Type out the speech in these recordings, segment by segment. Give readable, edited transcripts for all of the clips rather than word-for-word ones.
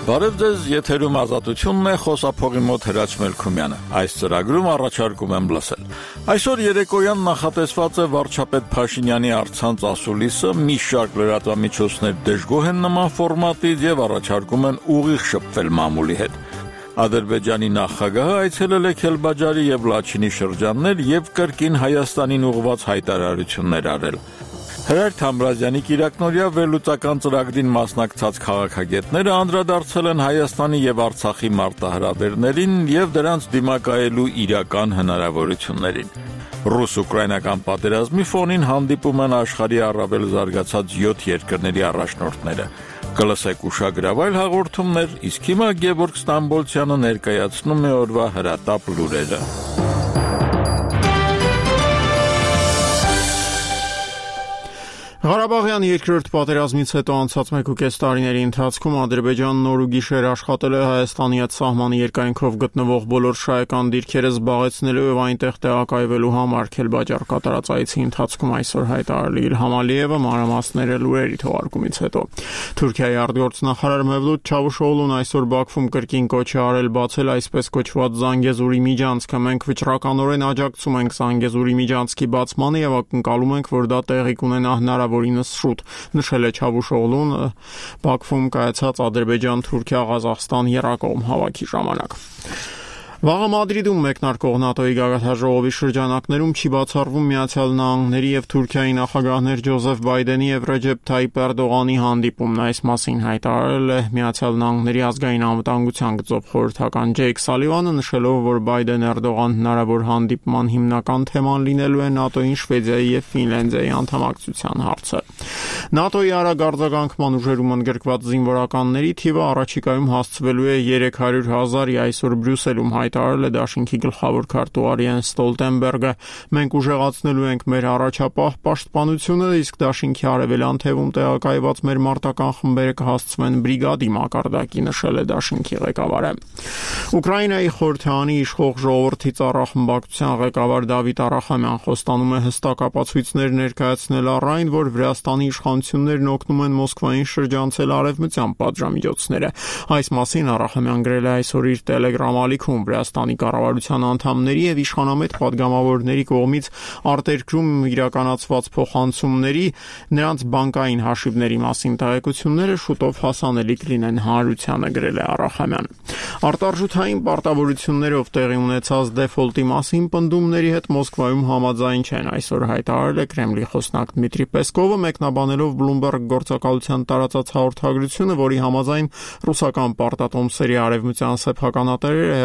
Բարև ձեզ, եթերում ազատությունն է, խոսափողի մոտ Հրաչ Մելքումյանը։ Այս ծրագրում առաջարկում եմ լսել։ Այսօր երեկոյան նախատեսված է վարչապետ Փաշինյանի առցանց ասուլիսը, մի շարք լրատվամիջոցներ դժգոհ են նման ֆորմատից եւ առաջարկում են ուղիղ շփվել մամուլի հետ։ Ադրբեջանի նախագահը այցելել է Քելբաջարի եւ Լաչինի շրջաններ եւ կրկին Հայաստանին ուղղված հայտարարություններ արել։ Հրայր Թամրազյանի կիրակնօրյա վերլուծական ծրագրին մասնակցած քաղաքագետները անդրադարձել են Հայաստանի եւ Արցախի մարտահրավերներին եւ դրանց դիմակայելու իրական հնարավորություններին։ Ռուս-ուկրաինական պատերազմի ֆոնին հանդիպում են աշխարհի առավել զարգացած 7 երկրների առաջնորդները։ Կլսեք ուշագրավայր հաղորդումներ, իսկ հիմա Գևորգ Ստամբոլցյանը ներկայացնում է օրվա հրատապ լուրերը։ Ղարաբաղյան երկրորդ պատերազմից հետո անցած 1.5 տարիների ընթացքում Ադրբեջանն օր ու գիշեր աշխատել է Հայաստանի հետ սահմանի երկայնքով գտնվող բոլոր շահեկան դիրքերը զբաղեցնելու եւ այնտեղ տեղակայվելու համար Քելբաջար կատարած այցի ընթացքում այսօր հայտարարել Իլհամ Ալիևը մանրամասները լուրերի թողարկումից հետո։ Թուրքիայի արտգործնախարար Մևլութ Չավուշօղլուն այսօր Բաքվում կրկին կոչ է արել բացել այսպես կոչված Զանգեզուրի միջանցքը։ Մենք վճռականորեն աջակցում ենք Զանգեզուրի միջանցքի բացմանը եւ ակնկալում ենք, որ դա տեղի կունենա հնարավորինս շուտ, նշել է Չավուշօղլուն Բաքվում կայացած Ադրբեջան-Թուրքիա-Ղազախստան եռակողմ հավաքի ժամանակ։ Վաղը Մադրիդում մեկնարկող ՆԱՏՕ-ի գագաթնաժողովի շրջանակներում չի բացառվում Միացյալ Նահանգների եւ Թուրքիայի նախագահներ Ջոզեֆ Բայդենի եւ Ռեջեփ Թայիփ Էրդողանի հանդիպումն։ Այս մասին հայտարարել է Միացյալ Նահանգների ազգային անվտանգության գծով խորհրդական Ջեյք Սալիվանը, նշելով, որ Բայդեն-Էրդողան հնարավոր հանդիպման հիմնական թեման լինելու է ՆԱՏՕ-ին Շվեդիայի եւ Ֆինլանդիայի անդամակցության հարցը։ ՆԱՏՕ-ի արագ ուժերում ընդգրկված զինվորականների թիվը առաջիկայում հասցվելու է 300,000-ի, այսօր Բրյուսելում հայտարարել է Դաշինքի գլխավոր քարտուղար Յենս Ստոլտենբերգը։ Մենք ուժեղացնելու ենք մեր առաջապահ պաշտպանությունը, իսկ Դաշինքի արևելյան թևում տեղակայված մեր մարտական խմբերը կհասցվեն բրիգադի մակարդակի, նշել է Դաշինքի ղեկավարը։ Ուկրաինայի խորհրդարանի իշխող ժողովրդի ծառախմբակցության ղեկավար Դավիթ Արախամյան խոստանում է հստակ ապացույցներ ներկայացնել առ այն, որ Վրաստանի իշխանություններն օգնում են Մոսկվային շրջանցել արևմտյան պատժամիջոցները։ Այս մասին Արախամյան գրել է այսօր իր Telegram ալիքում։ Վրաստանի կառավարության անդամների եւ իշխանամետ падգամավորների կողմից արտերկրում իրականացված փոխանցումների, նրանց բանկային հաշիվների մասին տեղեկությունները շուտով հասանելի կլինեն հանրությանը, գրել է Արախամյան։ Արտարժութային պարտավորություններով տեղի ունեցած դեֆոլտի մասին պնդումների հետ Մոսկվայում համաձայն չեն, այսօր հայտարարել է Կրեմլի խոսնակ Դմիտրի Պեսկովը, մեկնաբանելով Bloomberg գործակալության տարածած հաղորդագրությունը, որի համաձայն ռուսական պարտատոմսերի արևմտյան սեփականատերերը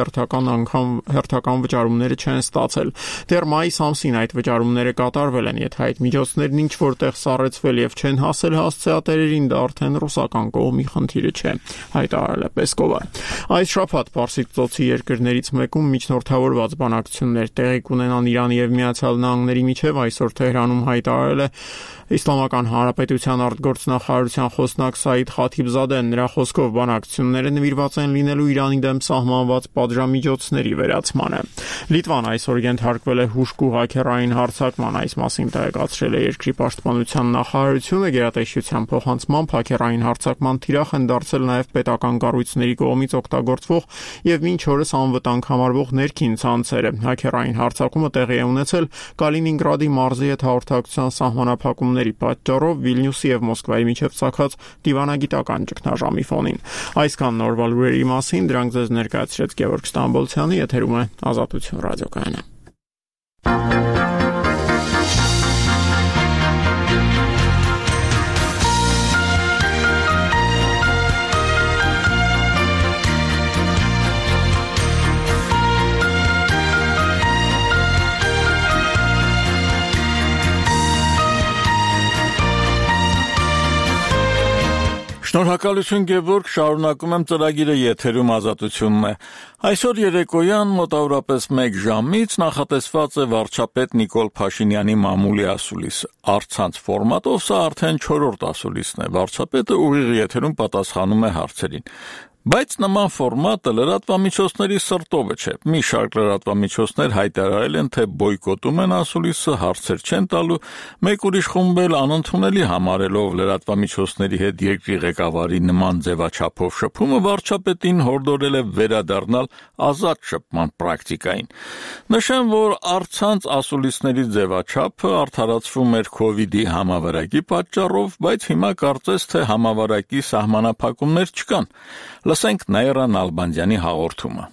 հերթական վճարումները չեն ստացել։ Դեռ մայիս ամսին այդ վճարումները կատարվել են, եթե այդ միջոցներն ինչ որտեղ սառեցվել եւ չեն հասել հասցեատերերին, դա արդեն ռուսական կողմի խնդիրը չէ, հայտարարել է Պեսկովը։ Այս շաբաթ Պարսից ծոցի երկրներից մեկում միջնորդավորված բանակցություններ տեղի կունենան Իրանի եւ Միացյալ Նահանգների միջև, այսօր Թեհրանում հայտարարել է Իսլամական Հանրապետության արտգործնախարարության խոսնակ Սաիդ Խաթիբզադեն։ Նրա խոսքով բանակցությունները նվիրված են լինելու Իրանի դեմ սահմանված պատժամիջոցների վերացմանը։ Լիտվան այսօր ենթարկվել է հուժկու հաքերային հարձակման, այս մասին տեղեկացրել է երկրի պաշտպանության նախարարությունը։ Գերատեսչության փոխանցմամբ հաքերային հարձակման թիրախ են դարձել նաև պետական կառույցների կողմից օգտագործվող եւ մինչ օրս անվտանգ համարվող ներքին ցանցերը։ Հաքերային հարձակումը տեղի է ունեցել Կալինինգրադի մարզի հետ հաղորդակցության սահմանափակումների պատճառով Վիլնյուսի եւ Մոսկվայի միջև ցակած դիվանագիտական ճգնաժամի ֆոնին։ Այսքան նորվա լուրերի մասին, դրանք ձեզ ներկայացրեց Գևորգ Ստամբոլցյանը, եթերում է Ազատություն ռադիոկայանը։ Շնորհակալություն Գևորգ, շարունակում եմ ծրագիրը, եթերում Ազատությունն է։ Այսօր երեկոյան մոտավորապես 1 ժամից նախատեսված է վարչապետ Նիկոլ Փաշինյանի մամուլի ասուլիսը։ Առցանց ֆորմատով սա արդեն 4-րդ ասուլիսն է։ Վարչապետը ուղիղ եթերում պատասխանում է հարցերին։ Բայց նման ֆորմատը լրատվամիջոցների սրտովը չէ։ Մի շարք լրատվամիջոցներ հայտարարել են, թե բոյկոտում են ասուլիսը, հարցեր չեն տալու, մեկ ուրիշ խումբ էլ անընդունելի համարելով լրատվամիջոցների հետ երկրի ղեկավարի նման ձևաչափով շփումը վարչապետին հորդորել է վերադառնալ ազատ շփման պրակտիկային։ Նշեմ, որ առցանց ասուլիսների ձևաչափը արդարացվում էր COVID-ի համավարակի պատճառով, բայց հիմա կարծես թե համավարակի սահմանափակումներ չկան։ Լսենք Նաիրա Նալբանդյանի հաղորդումը։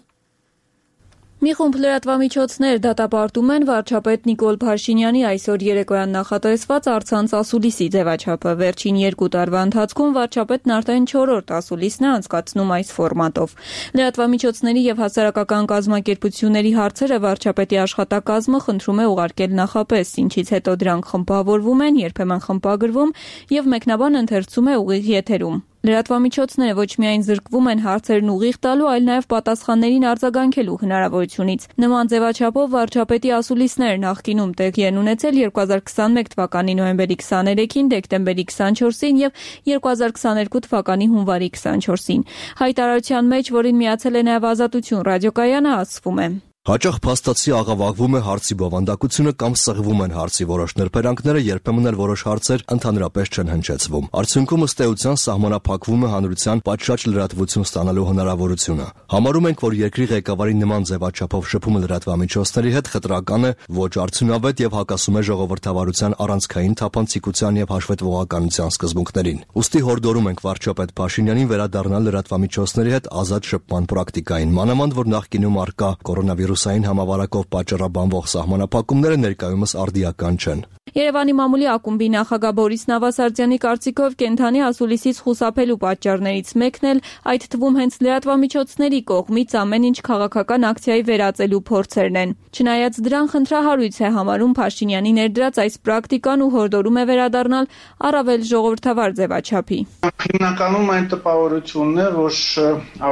Մի խումբ լրատվամիջոցներ դատապարտում են վարչապետ Նիկոլ Փաշինյանի այսօր երեկոյան նախատեսված առցանց ասուլիսի ձևաչափը։ Վերջին 2 տարվա ընթացքում վարչապետն արդեն 4-րդ ասուլիսն է անցկացնում այս ֆորմատով։ Լրատվամիջոցների եւ հասարակական կազմակերպությունների հարցերը վարչապետի աշխատակազմը խնդրում է ուղարկել նախապես, ինչից հետո դրանք խմբավորվում են, երբեմն խմբագրվում եւ մեկնաբան ընթերցում է ուղիղ եթերում։ Լրատվամիջոցները ոչ միայն զրկվում են հարցերն ուղիղ տալու, այլ նաև պատասխաններին արձագանքելու հնարավորությունից։ Նման ձևաչափով վարչապետի ասուլիսները նախկինում տեղի են ունեցել 2021 թվականի նոյեմբերի 23-ին, դեկտեմբերի 24-ին եւ 2022 թվականի հունվարի 24-ին։ Հայտարարության մեջ, որին միացել է նաև Ազատություն ռադիոկայանը, ասվում է. Հաճախ փաստացի աղավաղվում է հարցի բովանդակությունը կամ սղվում են հարցի որոշ նրբերանգները, երբեմն էլ որոշ հարցեր ընդհանրապես չեն հնչեցվում։ Արդյունքում ըստ էության սահմանափակվում է հանրության պատշաճ լրատվություն ստանալու հնարավորությունը։ Համարում ենք, որ երկրի ղեկավարի նման ձևաչափով շփումը լրատվամիջոցների հետ խտրական է, ոչ արդյունավետ եւ հակասում է ժողովրդավարության առանցքային թափանցիկության եւ հաշվետվողականության սկզբունքներին։ Ուստի հորդորում ենք վարչապետ Փաշինյանին վերադառնալ լրատվամիջոցների հետ ազատ շփման պրակտիկային, մանավանդ որ նախկինում արկա կորոնավիրուսային համավարակով պատճառաբանվող սահմանափակումները ներկայումս արդիական չեն։ Երևանի մամուլի ակումբի նախագահ Բորիս Նավասարդյանի կարծիքով կենդանի ասուլիսից խուսափելու պատճառներից մեկն էլ այդ թվում հենց լրատվամիջոցների կողմից ամեն ինչ քաղաքական ակցիայի վերածելու փորձերն են։ Չնայած դրան խնդրահարույց է համարում Փաշինյանի ներդրած այս պրակտիկան ու հորդորում է վերադառնալ առավել ժողովրդավար ձևաչափի։ Հիմնականում այն տպավորությունն է, որ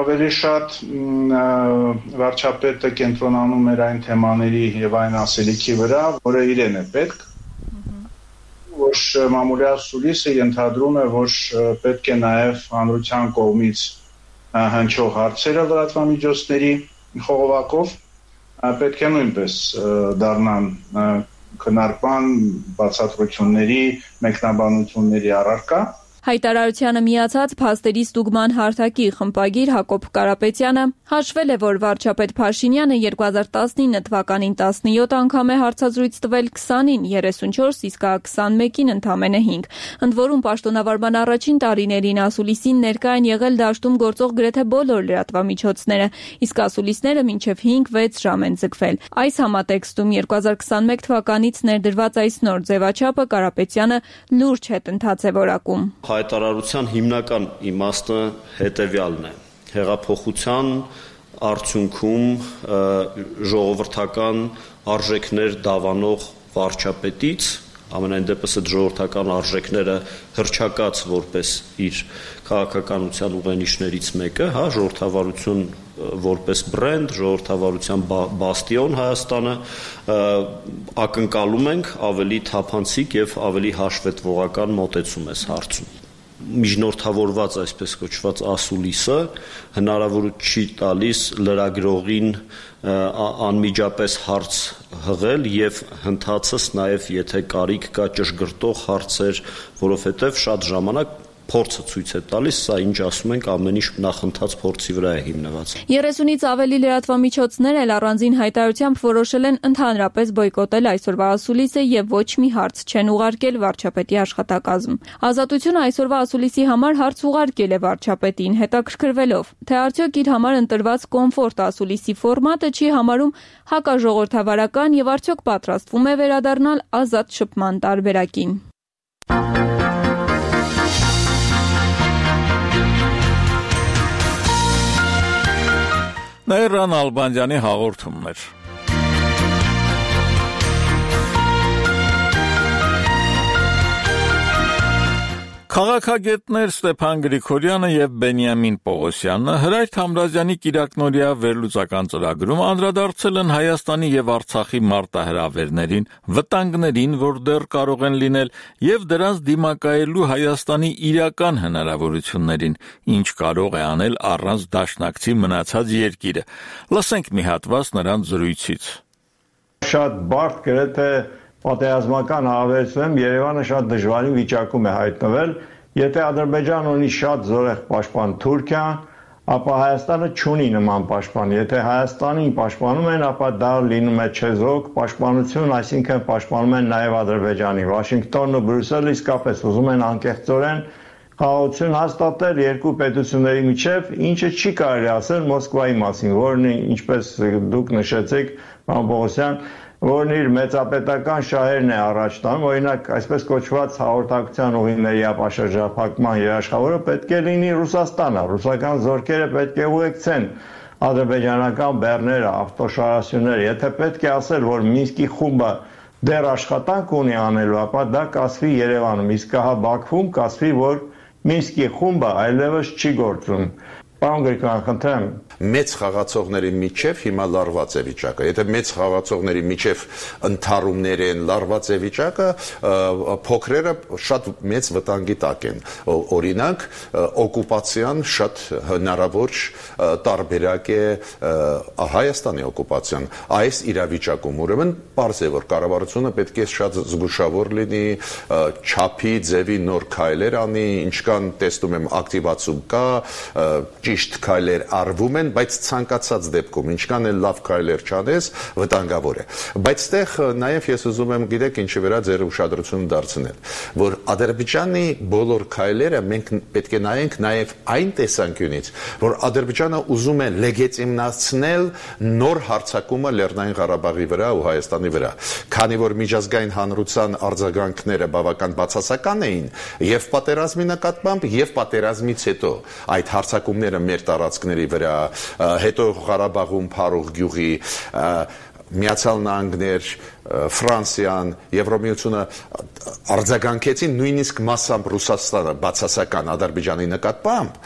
ավելի շատ վարչապետը կենտրոնանում էր այն թեմաների եւ այն ասելիքի վրա, որը իրեն է պետք, որ մամուլի ասուլիսը ենթադրում է, որ պետք է նաև հանրության կողմից հնչող հարցերը լրատվամիջոցների խողովակով պետք է նույնպես դառնան քննարկման, բացատրությունների, մեկնաբանությունների առարկա։ Հայտարարությանը միացած փաստերի ստուգման հարթակի խմբագիր Հակոբ Կարապետյանը հաշվել է, որ վարչապետ Փաշինյանը 2019 թվականին 17 անգամ է հարցազրույց տվել 20-ին 34, իսկ 21-ին ընդամենը 5։ Ընդ որում պաշտոնավարման առաջին տարիներին ասուլիսին ներկա են եղել դաշտում գործող գրեթե բոլոր լրատվամիջոցները, իսկ ասուլիսները մինչև 5-6 ժամ են ձգվել։ Այս համատեքստում 2021 թվականից ներդրված այս նոր ձևաչափը Կարապետյանը լուրջ հետընթաց է որակում։ Հայտարարության հիմնական իմաստը հետևյալն է. հեղափոխության արդյունքում ժողովրդական արժեքներ դավանող վարչապետից, ամենայն դեպս այդ ժողովրդական արժեքները հռչակած որպես իր քաղաքականության ուղենիշներից մեկը, ժողովրդավարություն որպես բրենդ, ժողովրդավարության բաստիոն Հայաստանը, ակնկալում ենք ավելի թափանցիկ եւ ավելի հաշվետվողական մոտեցում այս հարցում։ Միջնորդավորված այսպես կոչված ասուլիսը հնարավորություն չի տալիս լրագրողին անմիջապես հարց հղել եւ հնդածս նաեւ եթե կարիք կա ճշգրտող հարցեր, որովհետեւ շատ ժամանակ փորձը ցույց է տալիս, սա ինչ ասում ենք, ամեն ինչ նախընթաց փորձի վրա է հիմնված։ 30-ից ավելի լրատվամիջոցներ էլ առանձին հայտարարությամբ որոշել են ընդհանրապես բոյկոտել այսօրվա ասուլիսը եւ ոչ մի հարց չեն ուղարկել վարչապետի աշխատակազմ։ Ազատությունը այսօրվա ասուլիսի համար հարց ուղարկել է վարչապետին, հետաքրքրվելով, թե արդյոք իր համար ընտրված կոմֆորտ ասուլիսի ֆորմատը չի համարում հակաժողովրդավարական եւ արդյոք պատրաստվում է վերադառնալ ազատ շփման տարբերակին։ Նաիրա Նալբանդյանի հաղորդումներ։ Քաղաքագետներ Ստեփան Գրիգորյանը եւ Բենյամին Պողոսյանը Հրայր Թամրազյանի կիրակնօրյա վերլուծական ծրագրում անդրադարձել են Հայաստանի եւ Արցախի մարտահրավերներին, վտանգներին, որ դեռ կարող են լինել, եւ դրանց դիմակայելու Հայաստանի իրական հնարավորություններին, ինչ կարող է անել առանց դաշնակցի մնացած երկիրը։ Լսենք մի հատված նրանց զրույցից։ Շատ բարդ գրեթե պատերազմական հարաբերությունում Երևանը շատ դժվարին վիճակում է հայտնվել, եթե Ադրբեջանը ունի շատ զորեղ պաշտպան Թուրքիան, ապա Հայաստանը չունի նման պաշտպան, եթե Հայաստանին պաշտպանում են, ապա դա լինում է չեզոք պաշտպանություն, այսինքն պաշտպանում են նաև Ադրբեջանին։ Վաշինգտոնն ու Բրյուսելը իսկապես ուզում են անկեղծորեն խաղաղություն հաստատել երկու պետությունների միջև, ինչը չի կարելի ասել Մոսկվայի մասին, որն ինչպես դուք նշեցիք, պարոն Պողոսյան, որն իր մեծապետական շահերն է առաջ տանում, օրինակ այսպես կոչված հաղորդակցության ուղիների ապաշրջափակման երաշխավորը պետք է լինի Ռուսաստանը, ռուսական զորքերը պետք է ուղեկցեն ադրբեջանական բեռները, ավտոշարասյունները, եթե պետք է ասել, որ Մինսկի խումբը դեռ աշխատանք ունի անելու, ապա դա կասվի Երևանում, իսկ հա Բաքվում կասվի, որ Մինսկի խումբը այլևս չի գործում։ Պարոն Գրիգորյան, խնդրեմ։ Մեծ խաղացողների միջև հիմա լարված է վիճակը։ Եթե մեծ խաղացողների միջև ընդհարումներ են, լարված է վիճակը, փոքրերը շատ մեծ վտանգի տակ են։ Օրինակ, օկուպացիան շատ հնարավոր տարբերակ է Հայաստանի օկուպացիան։ Այս իրավիճակում ուրեմն պարզ է, որ կառավարությունը պետք է շատ զգուշավոր լինի, չափի, ձևի նոր քայլեր անի, ինչքան տեսնում եմ ակտիվացում կա, ճիշտ քայլեր արվում են, բայց ցանկացած դեպքում ինչքան էլ լավ քայլեր չանես, վտանգավոր է։ Բայց այդտեղ նաև ես ուզում եմ, գիտեք, ինչի վրա ձեր ուշադրությունը դարձնել, որ Ադրբեջանի բոլոր քայլերը մենք պետք է նայենք նաև այն տեսանկյունից, որ Ադրբեջանը ուզում է լեգիտիմացնել նոր հարձակումը Լեռնային Ղարաբաղի վրա ու Հայաստանի վրա, քանի որ միջազգային հանրության արձագանքները բավական բացասական էին եւ պատերազմի նկատմամբ եւ պատերազմից հետո այդ հարձակումները մեր տարածքների վրա, հետո Ղարաբաղում Փարող գյուղի, Միացյալ Նահանգներ, Ֆրանսիան, Եվրոմիությունը արձագանքեցին նույնիսկ մասամբ Ռուսաստանը բացասական Ադրբեջանի նկատմամբ,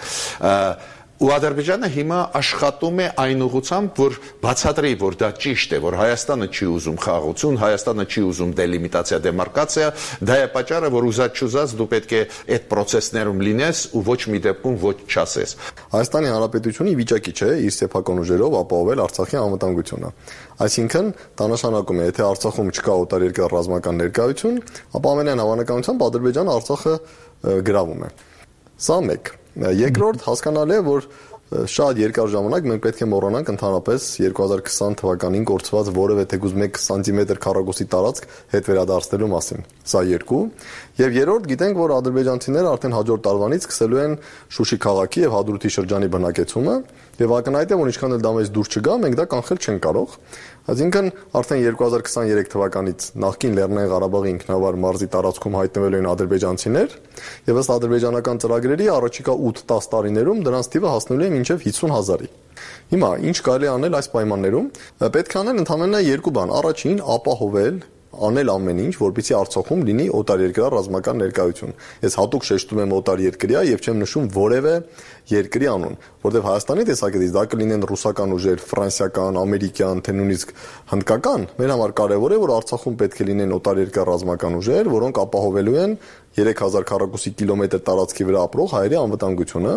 ու Ադրբեջանը հիմա աշխատում է այն ուղղությամբ, որ բացատրի, որ դա ճիշտ է, որ Հայաստանը չի ուզում խաղաղություն, Հայաստանը չի ուզում դելիմիտացիա, դեմարկացիա, դա է պատճառը, որ ուզած-չուզած դու պետք է այդ process-ներում լինես ու ոչ մի դեպքում ոչ չասես։ Հայաստանի Հանրապետությունը վիճակի չէ իր սեփական ուժերով ապահովել Արցախի անվտանգությունը։ Այսինքն, դա նշանակում է, եթե Արցախում չկա օտարերկրյա ռազմական ներկայություն, ապա ամենայն հավանականությամբ Ադրբեջանը Արցախը գրավում է։ Սա մեկ։ Երկրորդ, հասկանալի է, որ շատ երկար ժամանակ մենք պետք է մոռանանք ընդհանրապես 2020 թվականին կորցված որևէ թեկուզ 1 սանտիմետր քառակուսի տարածք հետ վերադարձնելու մասին։ Սա երկու։ Եվ երրորդ, գիտենք, որ ադրբեջանցիները արդեն հաջորդ տարվանից սկսելու են Շուշի քաղաքի եւ Հադրութի շրջանի բնակեցումը, եւ ակնհայտ է, որ ինչքան էլ դա մեզ դուր չգա, մենք դա կանխել չենք կարող։ Այսինքն արդեն 2023 թվականից նախկին Լեռնային Ղարաբաղի ինքնավար մարզի տարածքում հայտնվելու են ադրբեջանցիներ, եւ ըստ ադրբեջանական ծրագրերի առաջիկա 8-10 տարիներում դրանց թիվը հասնելու է մինչև 50,000-ի։ Հիմա ինչ կարելի անել այս պայմաններում։ Պետք է անել ընդհանրապես երկու բան։ Առաջին, ապահովել անել ամեն ինչ, որպեսզի Արցախում լինի օտարերկրյա ռազմական ներկայություն։ Ես հատուկ շեշտում եմ օտարերկրյա եւ չեմ նշում որևէ երկրի անուն, որտեղ Հայաստանի տեսակետից դա կլինեն ռուսական ուժեր, ֆրանսիական, ամերիկյան, թե նույնիսկ հնդկական, մեր համար կարևոր է, որ Արցախում պետք է լինեն օտարերկրյա ռազմական ուժեր, որոնք ապահովելու են 3000 քառակուսի կիլոմետր տարածքի վրա ապրող հայերի անվտանգությունը,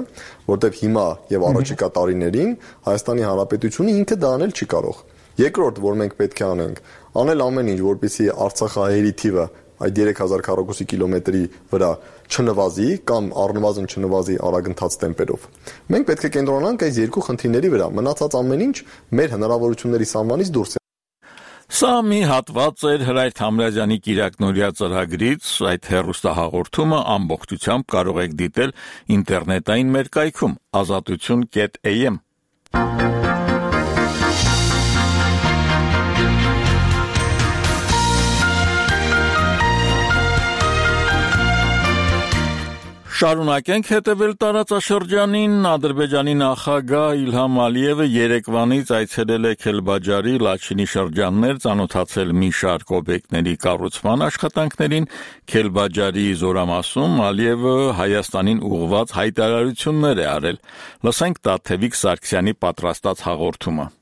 որտեղ հիմա եւ առաջիկա տարիներին Հայաստանի Հանրապետությունը ինքը դա անել չի կարող։ Երկրորդ, որ մենք պետք է անենք, անել ամեն ինչ, որպեսզի Արցախահայերի թիվը այդ 3000 քառակուսի կիլոմետրի վրա չնվազի կամ առնվազն չնվազի արագընթաց տեմպերով։ Մենք պետք է կենտրոնանանք այս երկու խնդիրների վրա, մնացած ամեն ինչ մեր հնարավորությունների սահմանից դուրս է։ Սա մի հատված էր Հրայր Թամրազյանի կիրակնօրյա ծրագրից, այդ հեռուստահաղորդումը ամբողջությամբ կարող եք դիտել ինտերնետային մեր կայքում azatutun.am Շարունակենք հետևել տարածաշրջանին. Ադրբեջանի նախագահ Իլհամ Ալիևը երեկվանից այցելել է Քելբաջարի, Լաչինի շրջաններ, ծանոթացել մի շարք օբյեկտների կառուցման աշխատանքներին։ Քելբաջարի զորամասում Ալիևը Հայաստանին ուղղված հայտարարություններ է արել։ Լսենք Տաթևիկ Սարգսյանի պատրաստած հաղորդումը։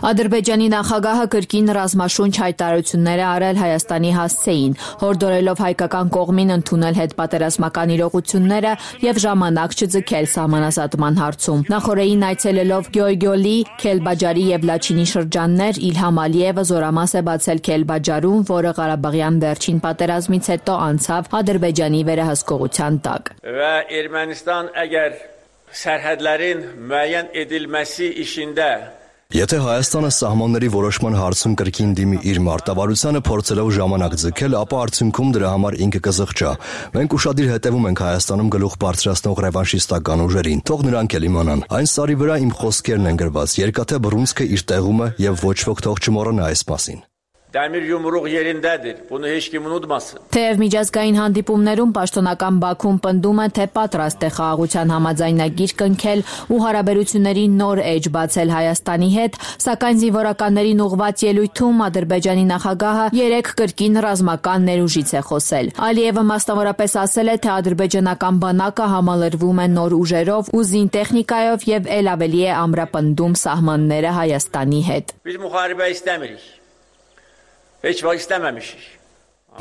Ադրբեջանի նախագահը կրկին ռազմաշունչ հայտարարություններ է արել Հայաստանի հասցեին, հորդորելով հայկական կողմին ընդունել հետպատերազմական իրողությունները եւ ժամանակ չձգել սահմանազատման հարցում։ Նախորդին այցելելով Գյոյգյոլի, Քելբաջարի եւ Լաչինի շրջաններ, Իլհամ Ալիևը զորամաս է բացել Քելբաջարում, որը Ղարաբաղյան վերջին պատերազմից հետո անցավ Ադրբեջանի վերահսկողության տակ։ Və Ermənistan əgər sərhədlərin müəyyən edilməsi işində Եթե Հայաստանը սահմանների որոշման հարցում կրկին դիմի իր մարտավարությանը փորձելով ժամանակ ձգել, ապա արդյունքում դրա համար ինքը կզղջա։ Մենք ուշադիր հետևում ենք Հայաստանում գլուխ բարձրացնող ռևանշիստական ուժերին։ Թող նրանք էլ իմանան։ Այն սարի վրա իմ խոսքերն են գրված։ Երկաթե բռունցքը իր տեղում է եւ ոչ ոք թող չմոռանա այս մասին։ Dəmir yumruq yerindədir. Bunu heç kim unutmasın. Թեև միջազգային հանդիպումներում պաշտոնական Բաքուն պնդում է, թե պատրաստ է խաղաղության համաձայնագիր կնքել ու հարաբերությունների նոր էջ բացել Հայաստանի հետ, սակայն զինվորականներին ուղղված ելույթում Ադրբեջանի նախագահը երեք կրկին ռազմական ներուժից է խոսել։ Ալիևը մասնավորապես ասել է, թե ադրբեջանական բանակը համալրվում է նոր ուժերով ու զինտեխնիկայով եւ ել ավելի է ամրապնդում սահմանները Հայաստանի հետ։ Biz müharibə istəmirik. Heç vaxt istəməmişik.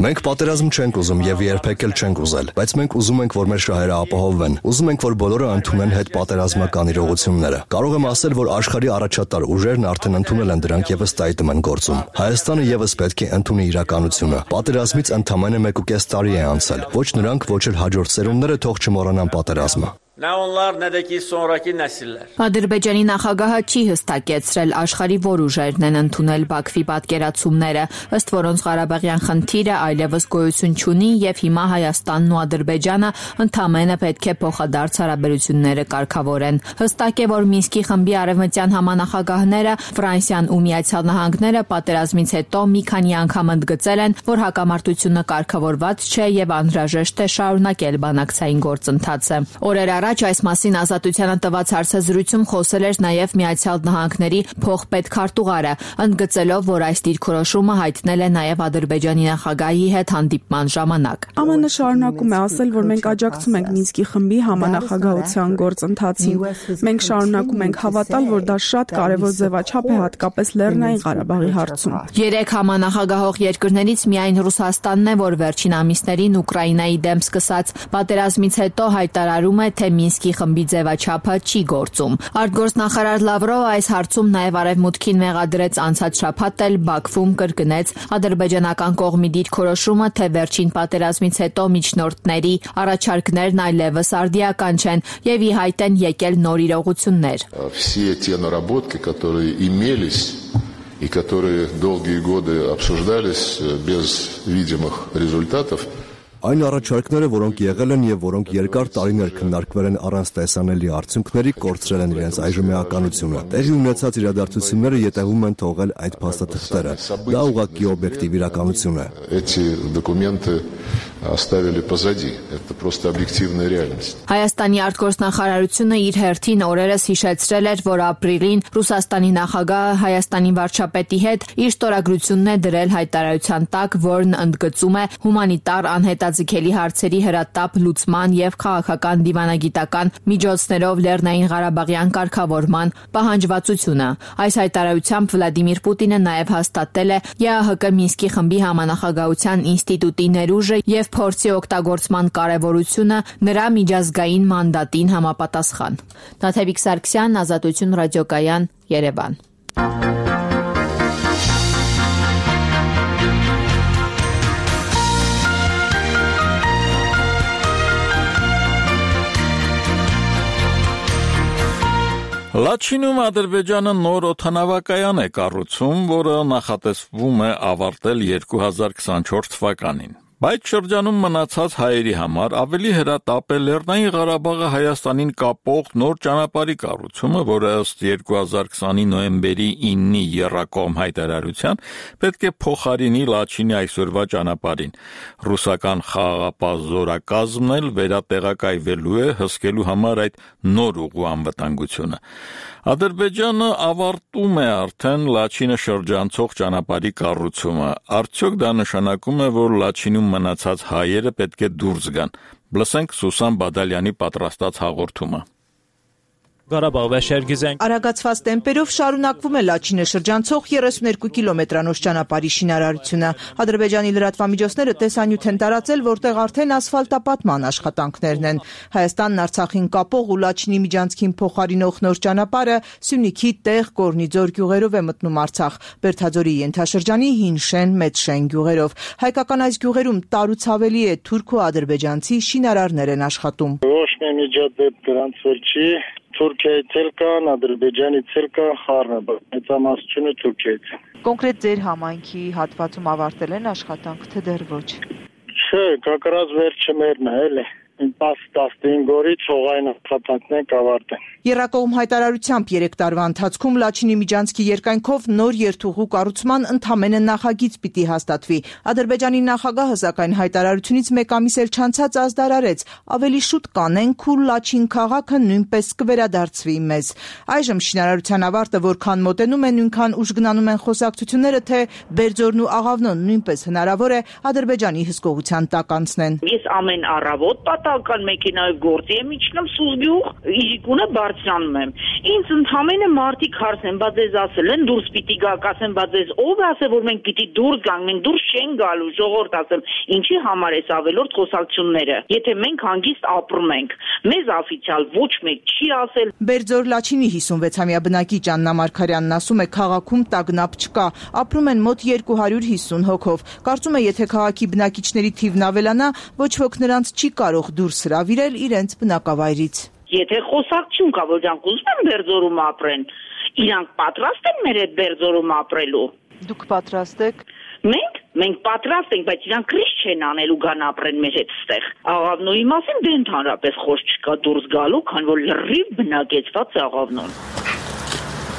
Մենք պատերազմ չենք ուզում եւ երբեք էլ չենք ուզել, բայց մենք ուզում ենք, որ մեր շահերը ապահովվեն։ Ուզում ենք, որ բոլորը ընդունեն հետպատերազմական իրողությունները։ Կարող եմ ասել, որ աշխարհի առաջատար ուժերն արդեն ընդունել են դրանք եւ ըստ այդմ են գործում։ Հայաստանը եւս պետք է ընդունի իրականությունը։ Պատերազմից ընդամենը 1.5 տարի է անցել։ Ոչ նրանք, ոչ էլ հաջորդ սերունդները թող չմոռանան պատերազմը։ Nə onlar, nə də ki sonrakı nəsillər. Ադրբեջանի նախագահը չի հստակեցրել աշխարհի որ ուժերն են ընդունել Բաքվի պատկերացումները, ըստ որոնց Ղարաբաղյան խնդիրը այլևս գոյություն չունի եւ հիմա Հայաստանն ու Ադրբեջանը ընդամենը պետք է փոխադարձ հարաբերությունները կարգավորեն։ Հստակ է, որ Մինսկի խմբի արևմտյան համանախագահները Ֆրանսիան ու Միացյալ Նահանգները պատերազմից հետո մի քանի անգամ ընդգծել են, որ հակամարտությունը կարգավորված չէ եւ անհրաժեշտ է շարունակել բանակցային գործընթացը։ Օրեր առաջ այս մասին Ազատությանը տված հարցազրույցում խոսել էր նաև Միացյալ Նահանգների փոխպետ քարտուղարը, ընդգծելով, որ այս դիրքորոշումը հայտնել է նաև Ադրբեջանի նախագահի հետ հանդիպման ժամանակ։ ԱՄՆ շարունակում է ասել, որ մենք աջակցում ենք Մինսկի խմբի համանախագահության գործընթացին։ Մենք շարունակում ենք հավատալ, որ դա շատ կարևոր ձևաչափ է հատկապես Լեռնային Ղարաբաղի հարցում։ Երեք համանախագահող երկրներից միայն Ռուսաստանն է, որ վերջին ամիսներին Ուկրաինայի դեմ սկսած պատերազմից հետո հայտարարում է, թե Մինսկի խմբի ձևաչափը չի գործում։ Արտգործնախարար Լավրովը այս հարցում նաև արևմուտքին մեղադրեց անցած շաբաթ էլ Բաքվում կրկնեց ադրբեջանական կողմի դիրքորոշումը, թե վերջին պատերազմից հետո միջնորդների առաջարկներն այլևս արդիական չեն եւ ի հայտ են եկել նոր իրողություններ։ Все те наработки, которые имелись и которые долгие годы обсуждались без видимых результатов. Այն առաջարկները, որոնք եղել են եւ որոնք երկար տարիներ քննարկվել են առանց տեսանելի արդյունքների, կորցրել են իրենց այժմեականությունը։ Տեղի ունեցած իրադարձությունները յետևում են թողել այդ փաստաթղթերը։ Դա ուղղակի օբյեկտիվ իրականություն է։ Эти документы оставили позади. Это просто объективная реальность. Հայաստանի արտգործնախարարությունը իր հերթին օրերս հիշեցրել էր, որ ապրիլին Ռուսաստանի նախագահը Հայաստանի վարչապետի հետ իր ստորագրությունն է դրել հայտարարության տակ, որն ընդգծում է հումանիտար անհետաձգելի հարցերի հրատապ լուծման եւ քաղաքական դիվանագիտական միջոցներով Լեռնային Ղարաբաղյան կարգավորման պահանջվածությունը։ Այս հայտարարությամբ Վլադիմիր Պուտինը նաև հաստատել է ԵԱՀԿ Մինսկի խմբի համանախագահության ինստիտուտի ներուժը եւ փորձի օգտագործման կարեւորությունը նրա միջազգային մանդատին համապատասխան։ Տաթևիկ Սարգսյան, Ազատություն ռադիոկայան, Երևան։ Լաչինում Ադրբեջանը նոր օդանավակայան է կառուցում, որը նախատեսվում է ավարտել 2024 թվականին։ Բայց շրջանում մնացած հայերի համար ավելի հրատապ է Լեռնային Ղարաբաղը Հայաստանին կապող նոր ճանապարհի կառուցումը, որը ըստ 2020-ի նոյեմբերի 9-ի եռակողմ հայտարարության պետք է փոխարինի Լաչինի այսօրվա ճանապարհին։ Ռուսական խաղաղապահ զորակազմն էլ վերատեղակայվելու է հսկելու համար այդ նոր ուղու անվտանգությունը։ Ադրբեջանը ավարտում է արդեն Լաչինը շրջանցող ճանապարհի կառուցումը։ Արդյոք դա նշանակում է, որ Լաչինում մնացած հայերը պետք է դուրս գան։ Լսենք Սուսան Բադալյանի պատրաստած հաղորդումը։ Արագացված տեմպերով շարունակվում է Լաչինը շրջանցող 32 կիլոմետրանոց ճանապարհի շինարարությունը։ Ադրբեջանի լրատվամիջոցները տեսանյութ են տարածել, որտեղ արդեն ասֆալտապատման աշխատանքներն են։ Հայաստանն Արցախին կապող ու Լաչինի միջանցքին փոխարինող նոր ճանապարհը Սյունիքի Տեղ, Կորնիձոր գյուղերով է մտնում Արցախ, Բերդաձորի Ենթաշրջանի Հին Շեն, Մեծ Շեն գյուղերով։ Հայկական այս գյուղերում տարուց ավելի է թուրք ու ադրբեջանցի շինարարներ են աշխատում։ Ոչ մի միջադեպ դրանց որ չի Թուրքիայից էլ կան, Ադրբեջանից էլ կա, խառնը, մեծամասնությունը Թուրքիայից։ Կոնկրետ ձեր համայնքի հատվածում ավարտել են աշխատանք, թե դեռ ոչ։ Չէ, կակրած վերջը մերն է, էլի։ 10-15 օրից հողային աշխատանքներ կավարտեն։ Եռակողմ հայտարարությամբ 3 տարվա ընթացքում Լաչինի միջանցքի երկայնքով նոր երթուղու կառուցման ընդամենը նախագիծ պիտի հաստատվի։ Ադրբեջանի նախագահը սակայն հայտարարությունից մեկ ամիս էլ չանցած ազդարարեց, ավելի շուտ կանենք ու Լաչին քաղաքը նույնպես կվերադարձվի մեզ։ Այժմ շինարարության ավարտը որքան մոտենում է, նույնքան ուժ գնանում են խոսակցությունները, թե Բերձորն ու Աղավնոն նույնպես հնարավոր է Ադրբեջանի հսկողության տակ անցնեն։ Ես ամեն առավոտ պատահական մեքենայով գործի եմ իջնում Սուզգյուղ, Իժիկունը բարձրանում եմ։ Ինձ ընդամենը մարդիկ հարցնեն, բա ձեզ ասել են դուրս պիտի գաք, ասեմ, բա ձեզ ով է ասել, որ մենք պիտի դուրս գանք, մենք դուրս չենք գալու, ժողովուրդ ասեմ, ինչի համար էս ավելորդ խոսակցությունները։ Եթե մենք հանգիստ ապրում ենք, մեզ օֆիցիալ ոչ մեկ չի ասել։ Բերձոր Լաչինի 56-ամյա բնակիչ Աննա Մարգարյանն ասում է, քաղաքում տագնապ չկա, ապրում են մոտ 250 հոգով։ Կարծում է, եթե քաղաքի բնակիչների թիվն ավելանա, ոչ ոք նրանց չի կարող դուրս հրավիրել իրենց բնակավայրից։ Եթե խոսակցություն կա, որ իրանք ուզում են Բերձորում ապրեն, իրանք պատրաստ են մեր այդ Բերձորում ապրելու։ Դուք պատրաստ եք։ Մենք պատրաստ ենք, բայց իրանք քրիչ չեն անելու գան ապրեն մեր հետ ստեղ։ Աղավնոյի մասին դե ընդհանրապես խոսք չկա դուրս գալու, քան որ լրիվ բնակեցված է Աղավնոն։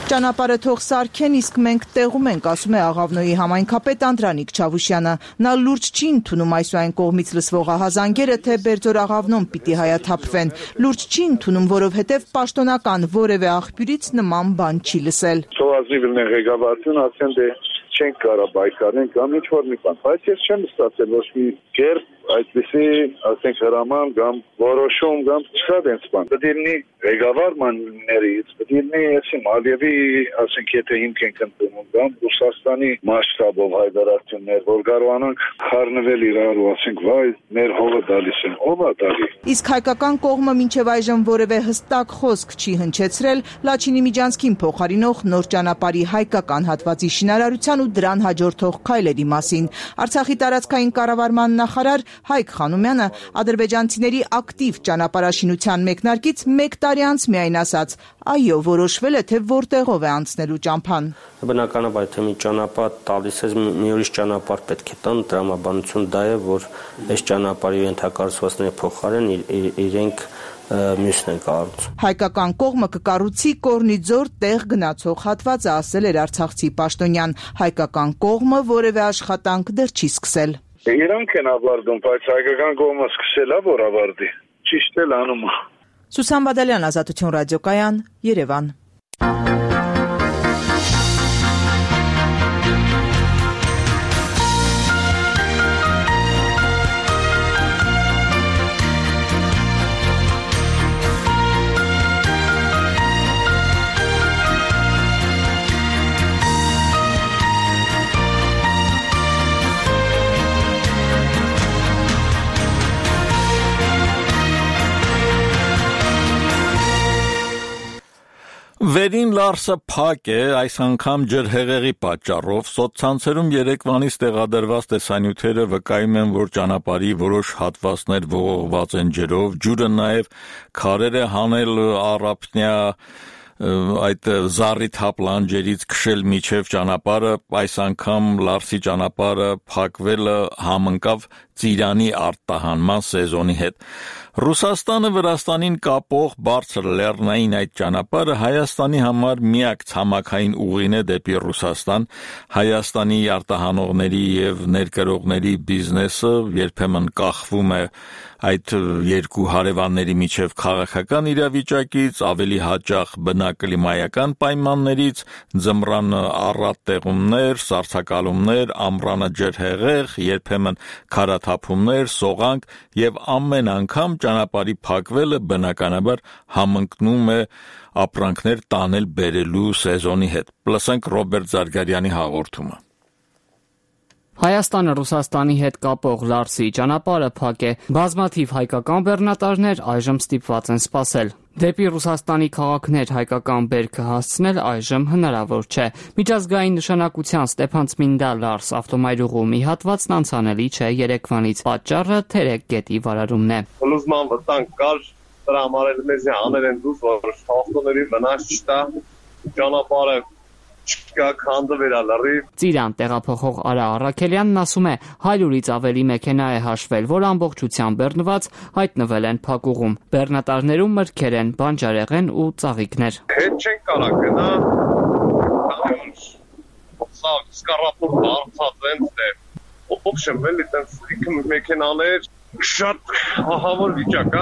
Ճանապարհը թող սարքեն, իսկ մենք տեղում ենք, ասում է Աղավնոյի համայնքապետ Անդրանիկ Չավուշյանը։ Նա լուրջ չի ընդունում այս ու այն կողմից լսվող ահազանգերը, թե Բերձոր Աղավնոն պիտի հայաթափվեն։ Լուրջ չի ընդունում, որովհետև պաշտոնական որևէ աղբյուրից նման բան չի լսել։ Չենք կարող բայկարեն կամ ինչ-որ մի բան, բայց ես չեմ ստացել ոչ մի կերպ այդպիսի, ասենք, հրաման կամ որոշում կամ չկա դենց բան։ Պետք է լինի ղեկավարներից, պետք է լինի այսինքն Ալիևի, ասենք, եթե հիմք ենք ընդունում կամ Ռուսաստանի մասշտաբով հայտարարություններ, որ կարողանանք խառնվել իրար ու ասենք, վայ, մեր հողը դալիս են, ով է դալի։ Իսկ հայկական կողմը մինչև այժմ որևէ հստակ խոսք չի հնչեցրել Լաչինի միջանցքին փոխարինող նոր ճանապարհի հայկական հատվածի շինարարության ու դրան հաջորդող քայլերի մասին։ Արցախի տարածքային կառավարման նախարար Հայկ Խանոմյանը ադրբեջանցիների ակտիվ ճանապարհաշինության մեկնարկից 1 տարի անց միայն ասաց. այո, որոշվել է, թե որտեղով է անցնելու ճամփան։ Բնականաբար, թե մի ճանապարհ տալիս է, մի ուրիշ ճանապարհ պետք է տան, տրամաբանություն դա է, որ այս ճանապարհի ենթակառուցվածքների փոխարեն իրենք մյուսն են կառուցում։ Հայկական կողմը կկառուցի Կորնիձոր Տեղ գնացող հատվածը, ասել էր արցախցի պաշտոնյան։ Հայկական կողմը որևէ աշխատանք դեռ չի սկսել։ Իրանք են ավարտում, բայց հայկական կողմը սկսել է, որ ավարտի։ Ճիշտ էլ անում է։ Սուսան Բադալյան, Ազատություն ռադիոկայան, Երևան։ Վերին Լարսը փակ է, այս անգամ ջրհեղեղի պատճառով սոցցանցերում երեկվանից տեղադրված տեսանյութերը վկայում են, որ ճանապարհի որոշ հատվածներ ողողված են ջրով, ջուրը նաև քարեր է հանել առափնյա այդ զառիթ հապլանջերից քշել միջև ճանապարհը, այս անգամ Լարսի ճանապարհը փակվելը համընկավ ծիրանի արտահանման սեզոնի հետ։ Ռուսաստանը Վրաստանին կապող բարձր լեռնային այդ ճանապարհը Հայաստանի համար միակ ցամաքային ուղին է դեպի Ռուսաստան։ Հայաստանի արտահանողների եւ ներկրողների բիզնեսը երբեմն կախվում է այդ երկու հարևանների միջև քաղաքական իրավիճակից, ավելի հաճախ բնակլիմայական պայմաններից, ձմռան առատ տեղումներ, սառցակալումներ, ամռանը ջրհեղեղ, երբեմն քարաթափումներ, սողանք եւ ամեն անգամ ճանապարհի փակվելը բնականաբար համընկնում է ապրանքներ տանել բերելու սեզոնի հետ։ Լսենք Ռոբերտ Զարգարյանի հաղորդումը։ Հայաստանը Ռուսաստանի հետ կապող Լարսի ճանապարհը փակ է։ Բազմաթիվ հայկական բեռնատարներ այժմ ստիպված են սպասել։ Դեպի Ռուսաստանի քաղաքներ հայկական բերքը հասցնել այժմ հնարավոր չէ։ Միջազգային նշանակության Ստեփանցմինդա-Լարս ավտոմայրուղու մի հատվածն անցանելի չէ Երևանից։ Պատճառը Թերեկ գետի վարարումն է։ Լուսման վտանգ կար, դրա համար էլ մեզ անել են դուս, որ ավտոների վնաս չտա, ճանապարհը Ծիրան տեղափոխող Արա Առաքելյանն ասում է 100-ից ավելի մեքենա է հաշվել, որ ամբողջությամբ բեռնված հայտնվել են փակուղում։ Բեռնատարներում մրգեր են, բանջարեղեն ու ծաղիկներ։ Հետ չեն կարա գնա, սա սկառապոր դարձած են դե։ Ոբշեմ էլի տենց մեքենաներ շատ ահավոր վիճակ,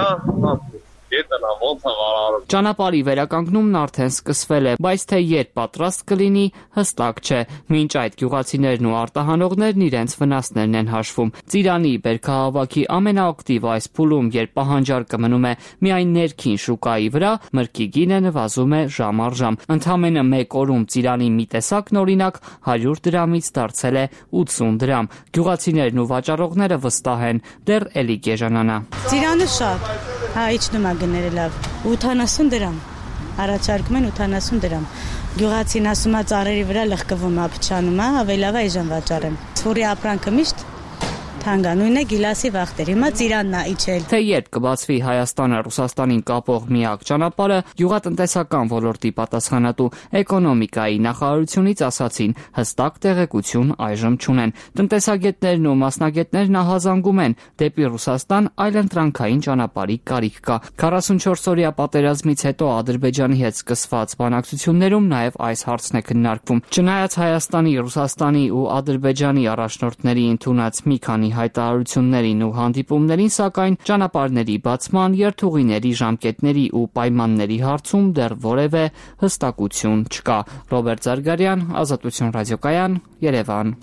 Ճանապարհի վերականգնումն արդեն սկսվել է, բայց թե երբ պատրաստ կլինի, հստակ չէ։ Մինչ այդ գյուղացիներն ու արտահանողներն իրենց վնասներն են հաշվում։ Ծիրանի բերքահավաքի ամենաակտիվ այս փուլում, երբ պահանջարկը մնում է միայն ներքին շուկայի վրա, մրգի գինը նվազում է ժամ առ ժամ։ Ընդամենը մեկ օրում Ծիրանի մի տեսակն օրինակ 100 դրամից դարձել է 80 դրամ։ Գյուղացիներն ու վաճառողները վստահ են, դեռ էլի կեժանանա։ Ծիրանը շատ, իջնում է գները լավ, 80 դրամ, առաջարկում են 80 դրամ, գյուղացին ասում է ծառերի վրա լղկվում է, փչանում է, ավելի լավ է այժմ վաճառեմ, սուրի ապրանքը միշտ թանգանույն է գիլասի վախտեր, հիմա Ծիրանն է իջել։ Թե երբ կբացվի Հայաստանը Ռուսաստանին կապող միակ ճանապարհը, գյուղատնտեսական ոլորտի պատասխանատու էկոնոմիկայի նախարարությունից ասացին, հստակ տեղեկություն այժմ չունեն։ Տնտեսագետներն ու մասնագետներն ահազանգում են, դեպի Ռուսաստան այլընտրանքային ճանապարհի կարիք կա։ 44-օրյա պատերազմից հետո Ադրբեջանի հետ սկսված բանակցություններում նաև այս հարցն է քննարկվում։ Չնայած Հայաստանի, Ռուսաստանի ու Ադրբեջանի առաջնորդների ընդունած մի քանի հայտարարություններին ու հանդիպումներին, սակայն ճանապարհների բացման, երթուղիների ժամկետների ու պայմանների հարցում դեռ որևէ հստակություն չկա։ Ռոբերտ Զարգարյան, Ազատություն ռադիոկայան, Երևան։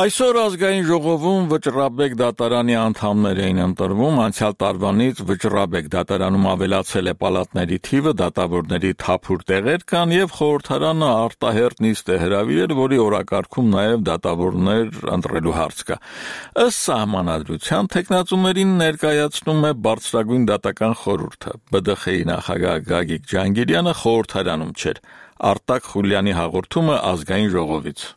Այսօր ազգային ժողովում վճռաբեկ դատարանի անդամներ էին ընտրվում, անցյալ տարվանից վճռաբեկ դատարանում ավելացել է պալատների թիվը, դատավորների թափուր տեղեր կան եւ խորհրդարանը արտահերտ նիստ է հրավիրել, որի օրակարգում նաեւ դատավորներ ընտրելու հարց կա։ Ըստ սահմանադրության թեկնածուներին ներկայացնում է Բարձրագույն դատական խորհուրդը։ ԲԴԽ-ի նախագահ Գագիկ Ջանգիրյանը խորհրդարանում չէր։ Արտակ Խուլյանի հաղորդումը ազգային ժողովից։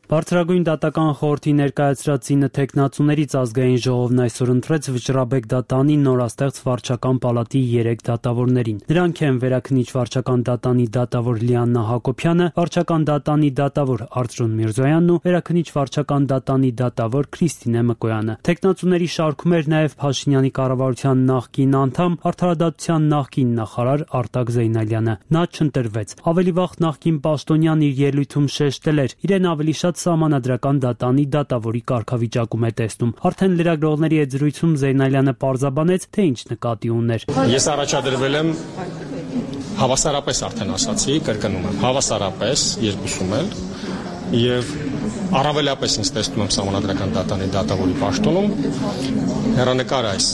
Բարձրագույն դատական խորհրդի ներկայացրած 9 թեկնածուներից ազգային ժողովն այսօր ընտրեց Վճռաբեկ դատանի նորաստեղծ վարչական պալատի 3 դատավորներին։ Նրանք են Վերաքննիչ վարչական դատանի դատավոր Լիաննա Հակոբյանը, վարչական դատանի դատավոր Արծրուն Միրզոյանն ու Վերաքննիչ վարչական դատանի դատավոր Քրիստինե Մկոյանը։ Թեկնածուների շարքում էր նաև Փաշինյանի կառավարության նախկին անդամ, արդարադատության նախկին նախարար Արտակ Զեյնալյանը։ Նա չընտրվեց։ Ավելի վաղ նախկին պաշտոնյան իր ելույթում շեշտել էր, իրեն ավելի շատ Սահմանադրական դատանի դատավորի կարգավիճակում է տեսնում։ Արդեն լրագրողների հետ զրույցում Զեյնալյանը պարզաբանեց, թե ինչ նկատի ուներ։ Ես առաջադրվել եմ հավասարապես արդեն ասացի, կրկնում եմ, հավասարապես երկուսում էլ եւ առավելապես ինձ տեսնում եմ Սահմանադրական դատանի դատավորի պաշտոնում հեռանկարը այս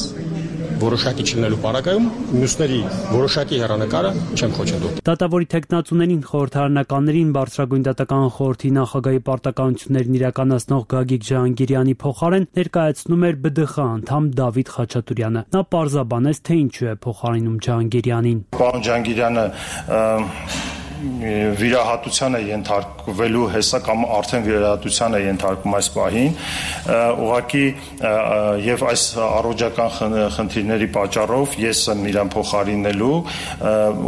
որոշակի չլինելու պարագայում մյուսների որոշակի հեռանկարը չեմ խոչընդոտի։ Դատավորի թեկնածուներին խորհրդարանականներին Բարձրագույն դատական խորհրդի նախագահի պարտականություններն իրականացնող Գագիկ Ջահանգիրյանի փոխարեն ներկայացնում էր ԲԴԽ անդամ Դավիթ Խաչատուրյանը։ Նա պարզաբանեց, թե ինչու է փոխարինում Ջահանգիրյանին։ Պարոն Ջահանգիրյանը վիրահատության է ենթարկվելու հեսա կամ արդեն վիրահատության է ենթարկում այս պահին, ուղղակի եւ այս առողջական խնդիրների պատճառով ես եմ իրան փոխարինելու,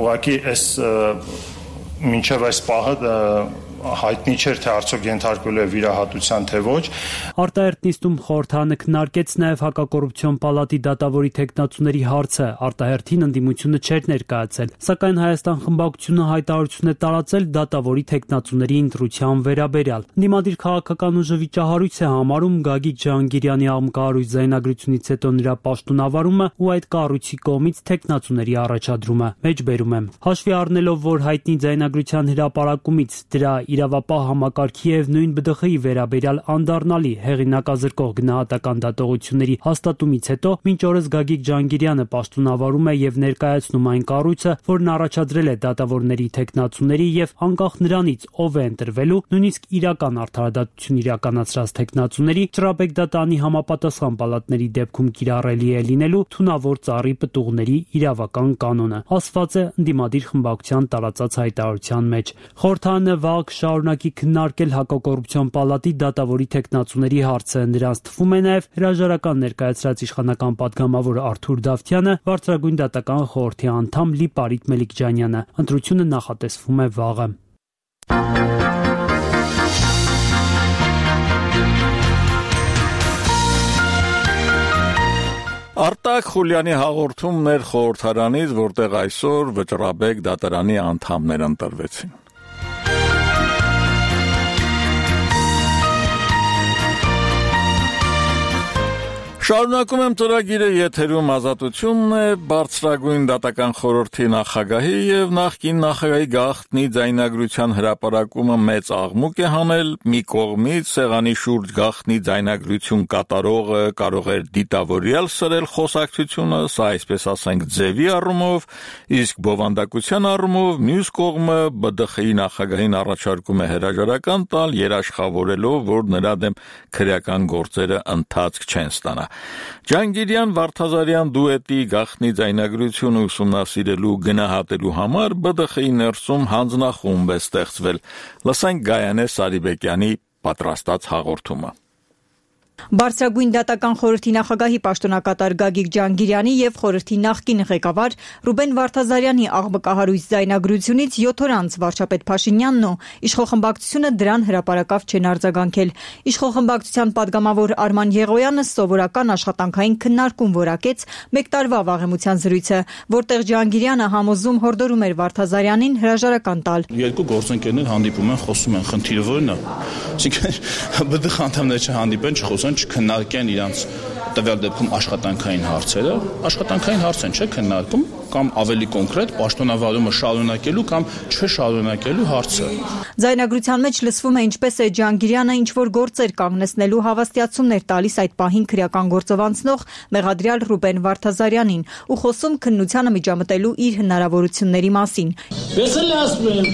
ուղղակի այս մինչև այս պահը հայտնի չէր թե արդյոք ենթարկվել է վիրահատության թե ոչ։ Արտահերտ նիստում խորհրդարանը քննարկեց նաև հակակոռուպցիոն պալատի դատավորի թեկնածուների հարցը, արտահերթին ընդդիմությունը չէր ներկայացել, սակայն Հայաստան խմբակցությունը հայտարարություն է տարածել դատավորի թեկնածուների ընտրության վերաբերյալ։ Ընդդիմադիր քաղաքական ուժը վիճահարույց է համարում Գագիկ Ջհանգիրյանի աղմկահարույց ձայնագրությունից հետո նրա պաշտոնավարումը ու այդ կառույցի կողմից թեկնածուների առաջադրումը։ Մեջբերում եմ։ Հաշվի առնելով, որ հայտնի ձայնագրության հրապարակումից դրա իրավապահ համակարգի եւ նույն ԲԴԽ-ի վերաբերյալ անդառնալի հեղինակազրկող գնահատական դատողությունների հաստատումից հետո մինչ օրս Գագիկ Ջհանգիրյանը պաշտոնավարում է եւ ներկայացնում այն կառույցը, որն առաջադրել է դատավորների թեկնածուների եւ անկախ նրանից ով է ընտրվելու, նույնիսկ իրական արդարադատություն իրականացրած թեկնածուների Ճռաբեկ դատանի համապատասխան պալատների դեպքում կիրառելի է լինելու թունավոր ծառի պտուղների իրավական կանոնը, ասված է ընդդիմադիր խմբակցության տարածած հայտարարության մեջ։ Խորհրդարանը վաղ շարունակի քննարկել հակակոռուպցիոն պալատի դատավորի թեկնածուների հարցը։ Նրանց թվում է նաև հրաժարական ներկայացրած իշխանական պատգամավոր Արթուր Դավթյանը, Բարձրագույն դատական խորհրդի անդամ Լիպարիտ Մելիքջանյանը։ Ընտրությունը նախատեսվում է վաղը։ Արտակ Խուլյանի հաղորդումներ խորհրդարանից, որտեղ այսօր Վճռաբեկ դատարանի անդամներ ընտրվեցին։ Շարունակում եմ ծրագիրը, եթերում Ազատությունն է, Բարձրագույն դատական խորհրդի նախագահի եւ նախկին նախագահի գաղտնի ձայնագրության հրապարակումը մեծ աղմուկ է հանել։ Մի կողմից սեղանի շուրջ գաղտնի ձայնագրություն կատարողը կարող էր դիտավորյալ սրել խոսակցությունը, սա այսպես ասենք ձևի առումով, իսկ բովանդակության առումով մյուս կողմը ԲԴԽ-ի նախագահին առաջարկում է հրաժարական տալ, երաշխավորելով, որ նրա դեմ քրեական գործերը ընթացք չեն ստանա։ Ջանգիրյան Վարդազարյան դուետի գաղտնի ձայնագրությունը ուսումնասիրելու գնահատելու համար ԲԴԽ-ի ներսում հանձնախումբ է ստեղծվել։ Լսենք Գայանե Սարիբեկյանի պատրաստած հաղորդումը։ Բարձրագույն դատական խորհրդի նախագահի պաշտոնակատար Գագիկ Ջհանգիրյանի եւ խորհրդի նախկին ղեկավար Ռուբեն Վարդազարյանի աղմկահարույց ձայնագրությունից 7 օր անց վարչապետ Փաշինյանն ու իշխող խմբակցությունը դրան հրապարակավ չեն արձագանքել։ Իշխող խմբակցության падգամավոր Արման Եղոյանը սովորական աշխատանքային քննարկում որակեց 1 տարվա վաղեմության զրույցը, որտեղ Ջհանգիրյանը համոզում հորդորում էր Վարդազարյանին հրաժարական տալ։ Երկու գործընկերներ հանդիպում են, խոսում են, խնդիրը ո՞րն է։ Այսինքն ԲԴԽ անդամները չհանդիպեն, չխոսեն, չքննարկեն իրանց տվյալ դեպքում աշխատանքային հարցերը, աշխատանքային հարց են չէ քննարկում կամ ավելի կոնկրետ պաշտոնավարումը շարունակելու կամ չշարունակելու հարցը։ Ձայնագրության մեջ լսվում է ինչպես է Ջհանգիրյանը ինչ որ գործեր կանգնեցնելու հավաստիացումներ տալիս այդ պահին քրեական գործով անցնող մեղադրյալ Ռուբեն Վարդազարյանին ու խոսում քննությանը միջամտելու իր հնարավորությունների մասին։ Ես էլ ասում եմ,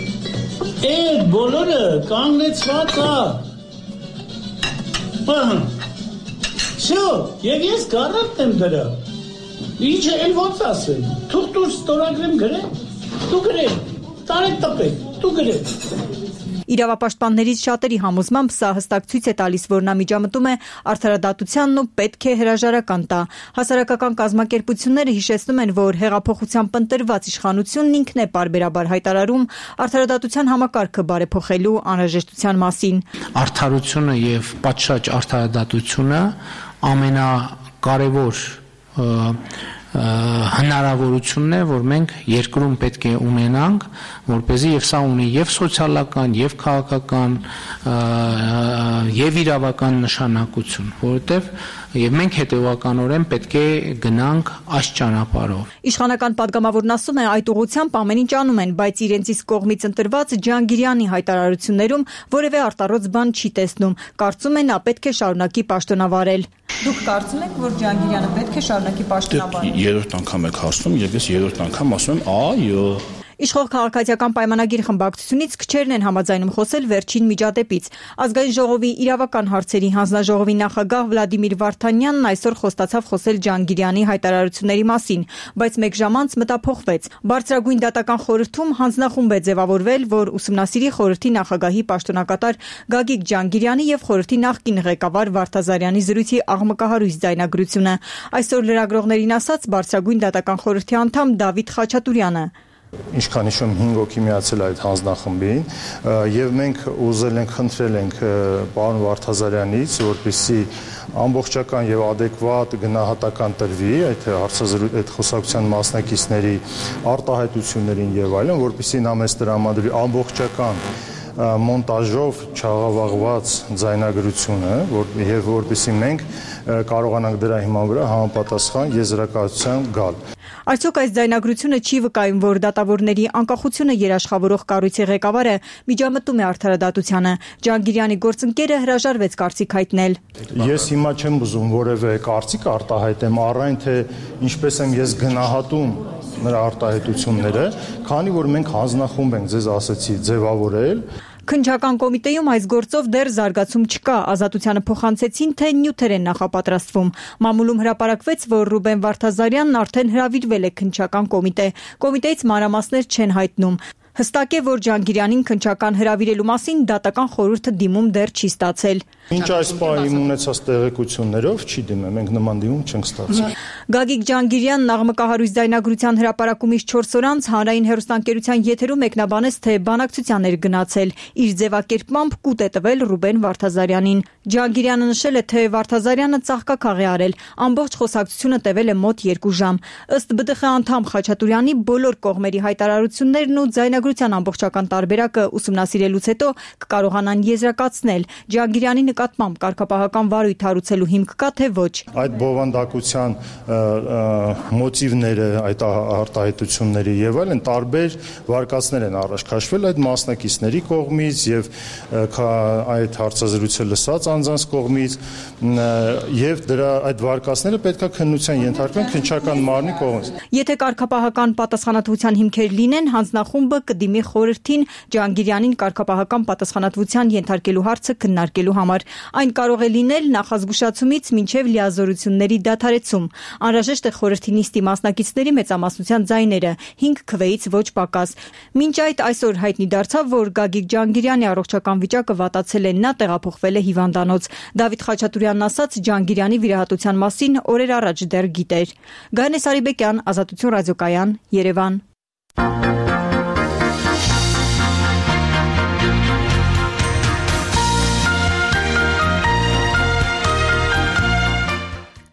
այդ բոլորը կանգնեցված է։ Շո, եւ ես գարատ եմ դրա։ Ինչ էլ ոնց ասեմ։ Թող դու ստորագրեմ գրեմ։ Դու գրեմ։ Տարեք տպեք։ Դու գրեմ։ Իրավապաշտպաններից շատերի համոզմամբ սա հստակ ցույց է տալիս, որ նա միջամտում է արդարադատությանն ու պետք է հրաժարական տա։ Հասարակական կազմակերպությունները հիշեցնում են, որ հեղափոխությամբ ընտրված իշխանությունն ինքն է պարբերաբար հայտարարում արդարադատության համակարգը բարեփոխելու անհրաժեշտության մասին։ Արդարությունը եւ պատշաճ արդարադատությունը ամենակարևոր հնարավորությունն է, որ մենք երկրում պետք է ունենանք, որպեսզի եւ սա ունի եւ սոցիալական, եւ քաղաքական, եւ իրավական նշանակություն, որովհետեւ եւ մենք հետեւականորեն պետք է գնանք այս ճանապարհով։ Իշխանական падգամավորն ասում է, այդ ուղղությամբ ամեն ինչ անում են, բայց իրենց իսկ կողմից ընտրված Ջհանգիրյանի հայտարարություններում որևէ արտարոց բան չի տեսնում։ Կարծում են, նա պետք է շարունակի պաշտոնավարել։ Դուք կարծում եք, որ Ջհանգիրյանը պետք է շարունակի պաշտոնավարել։ Երրորդ անգամ եք հարցնում եւ ես երրորդ անգամ ասում եմ, այո։ Իշխող քաղաքացիական պայմանագիր խմբակցությունից քչերն են համաձայնում խոսել վերջին միջադեպից։ Ազգային ժողովի իրավական հարցերի հանձնաժողովի նախագահ Վլադիմիր Վարդանյանն այսօր խոստացավ խոսել Ջհանգիրյանի հայտարարությունների մասին, բայց մեկ ժամ անց մտափոխվեց։ Բարձրագույն դատական խորհրդում հանձնախումբ է ձևավորվել, որ ուսումնասիրի խորհրդի նախագահի պաշտոնակատար Գագիկ Ջհանգիրյանի եւ խորհրդի նախկին ղեկավար Վարդազարյանի զրույցի աղմկահարույց ձայնագրությունը։ Այսօր լրագրողներին ասաց Բարձրագույն դատական խորհրդի անդամ Դավիթ Խաչատուրյանը։ Ինչքան հիշում 5 հոգի միացել այդ հանձնախմբին եւ մենք ուզել ենք խնդրել ենք պարոն Վարդազարյանից, որպեսզի ամբողջական եւ adekvat գնահատական տրվի այդ այդ խոսակցության մասնակիցների արտահայտություններին եւ այլն, որպեսզի նա մեզ տրամադրի ամբողջական մոնտաժով չաղավաղված ձայնագրությունը, եւ որպեսզի մենք կարողանանք դրա հիման վրա համապատասխան եզրակացության գալ։ Արդյոք այս ձայնագրությունը չի վկայում, որ դատավորների անկախությունը երաշխավորող կառույցի ղեկավարը միջամտում է արդարադատությանը։ Ջանգիրյանի գործընկերը հրաժարվեց կարծիք հայտնել։ Ես հիմա չեմ ուզում որևէ կարծիք արտահայտեմ, առայն թե ինչպես եմ ես գնահատում նրա արտահայտությունները, քանի որ մենք հանձնախումբ ենք, ձեզ ասացի, ձևավորել։ Քննչական կոմիտեում այս գործով դեռ զարգացում չկա, ազատությանը փոխանցեցին, թե նյութեր են նախապատրաստվում։ Մամուլում հրապարակվեց, որ Ռուբեն Վարդազարյանն արդեն հրավիրվել է քննչական կոմիտե։ Կոմիտեից մանրամասներ չեն հայտնում։ Հստակ է, որ Ջանգիրյանին քննչական հրավիրելու մասին դատական խորհուրդը դիմում դեռ չի ստացել։ Ինչ այս պահին ունեցած տեղեկություններով չի դիմել, մենք նման դիմում չենք ստացել։ Գագիկ Ջանգիրյանն աղմկահարույց ձայնագրության հրապարակումից 4 օր անց հանրային հեռուստաընկերության եթերում մեկնաբանեց, թե բանակցության էր գնացել։ Իր ձևակերպմամբ կուտ է տվել Ռուբեն Վարդազարյանին։ Ջանգիրյանը նշել է, թե Վարդազարյանը ծաղկակաղ է արել։ Ամբողջ խոսակցությունը տևել է մոտ 2 ժամ։ Ըստ ԲԴԽ անդամ Խաչատուրյանի բոլոր կողմերի հայտարարություններն ու ձայնագրության ամբողջական տարբերակը ուսումնասիրելուց հետո կկարողանան եզրակացնել Ջանգիրյանի նկատմամբ կարգապահական վարույթ հարուցելու հիմք կա թե ոչ։ Այդ բովանդակության մոտիվները, այդ արտահայտությունների եւ այլն տարբեր վարկածներ են առաջ քաշվել այդ մասնակիցների կողմից եւ այդ հարցազրույցը լսած անձանց կողմից եւ դրա այդ վարկածները պետքա քննության ենթարկվեն քննչական մարմնի կողմից։ Եթե կարգապահական պատասխանատվության հիմքեր լինեն, հանձնախումբը կդիմի խորհրդին Ջանգիրյանին կարգապահական պատասխանատվության ենթարկելու հարցը քննարկելու համար։ Այն կարող է լինել նախազգուշացումից մինչև լիազորությունների դադարեցում։ Անհրաժեշտ է խորհրդի նիստի մասնակիցների մեծամասնության ձայները 5 քվեից ոչ պակաս։ Մինչ այդ այսօր հայտնի դարձավ, որ Գագիկ Ջանգիրյանի առողջական վիճակը վատացել է, նա տեղափոխվել է հիվանդանոց։ Դավիթ Խաչատուրյանն ասաց, Ջանգիրյանի վիրահատության մասին օրեր առաջ դեռ գիտեր։ Գայանե Սարիբեկյան, Ազատություն ռադիոկայան, Երևան։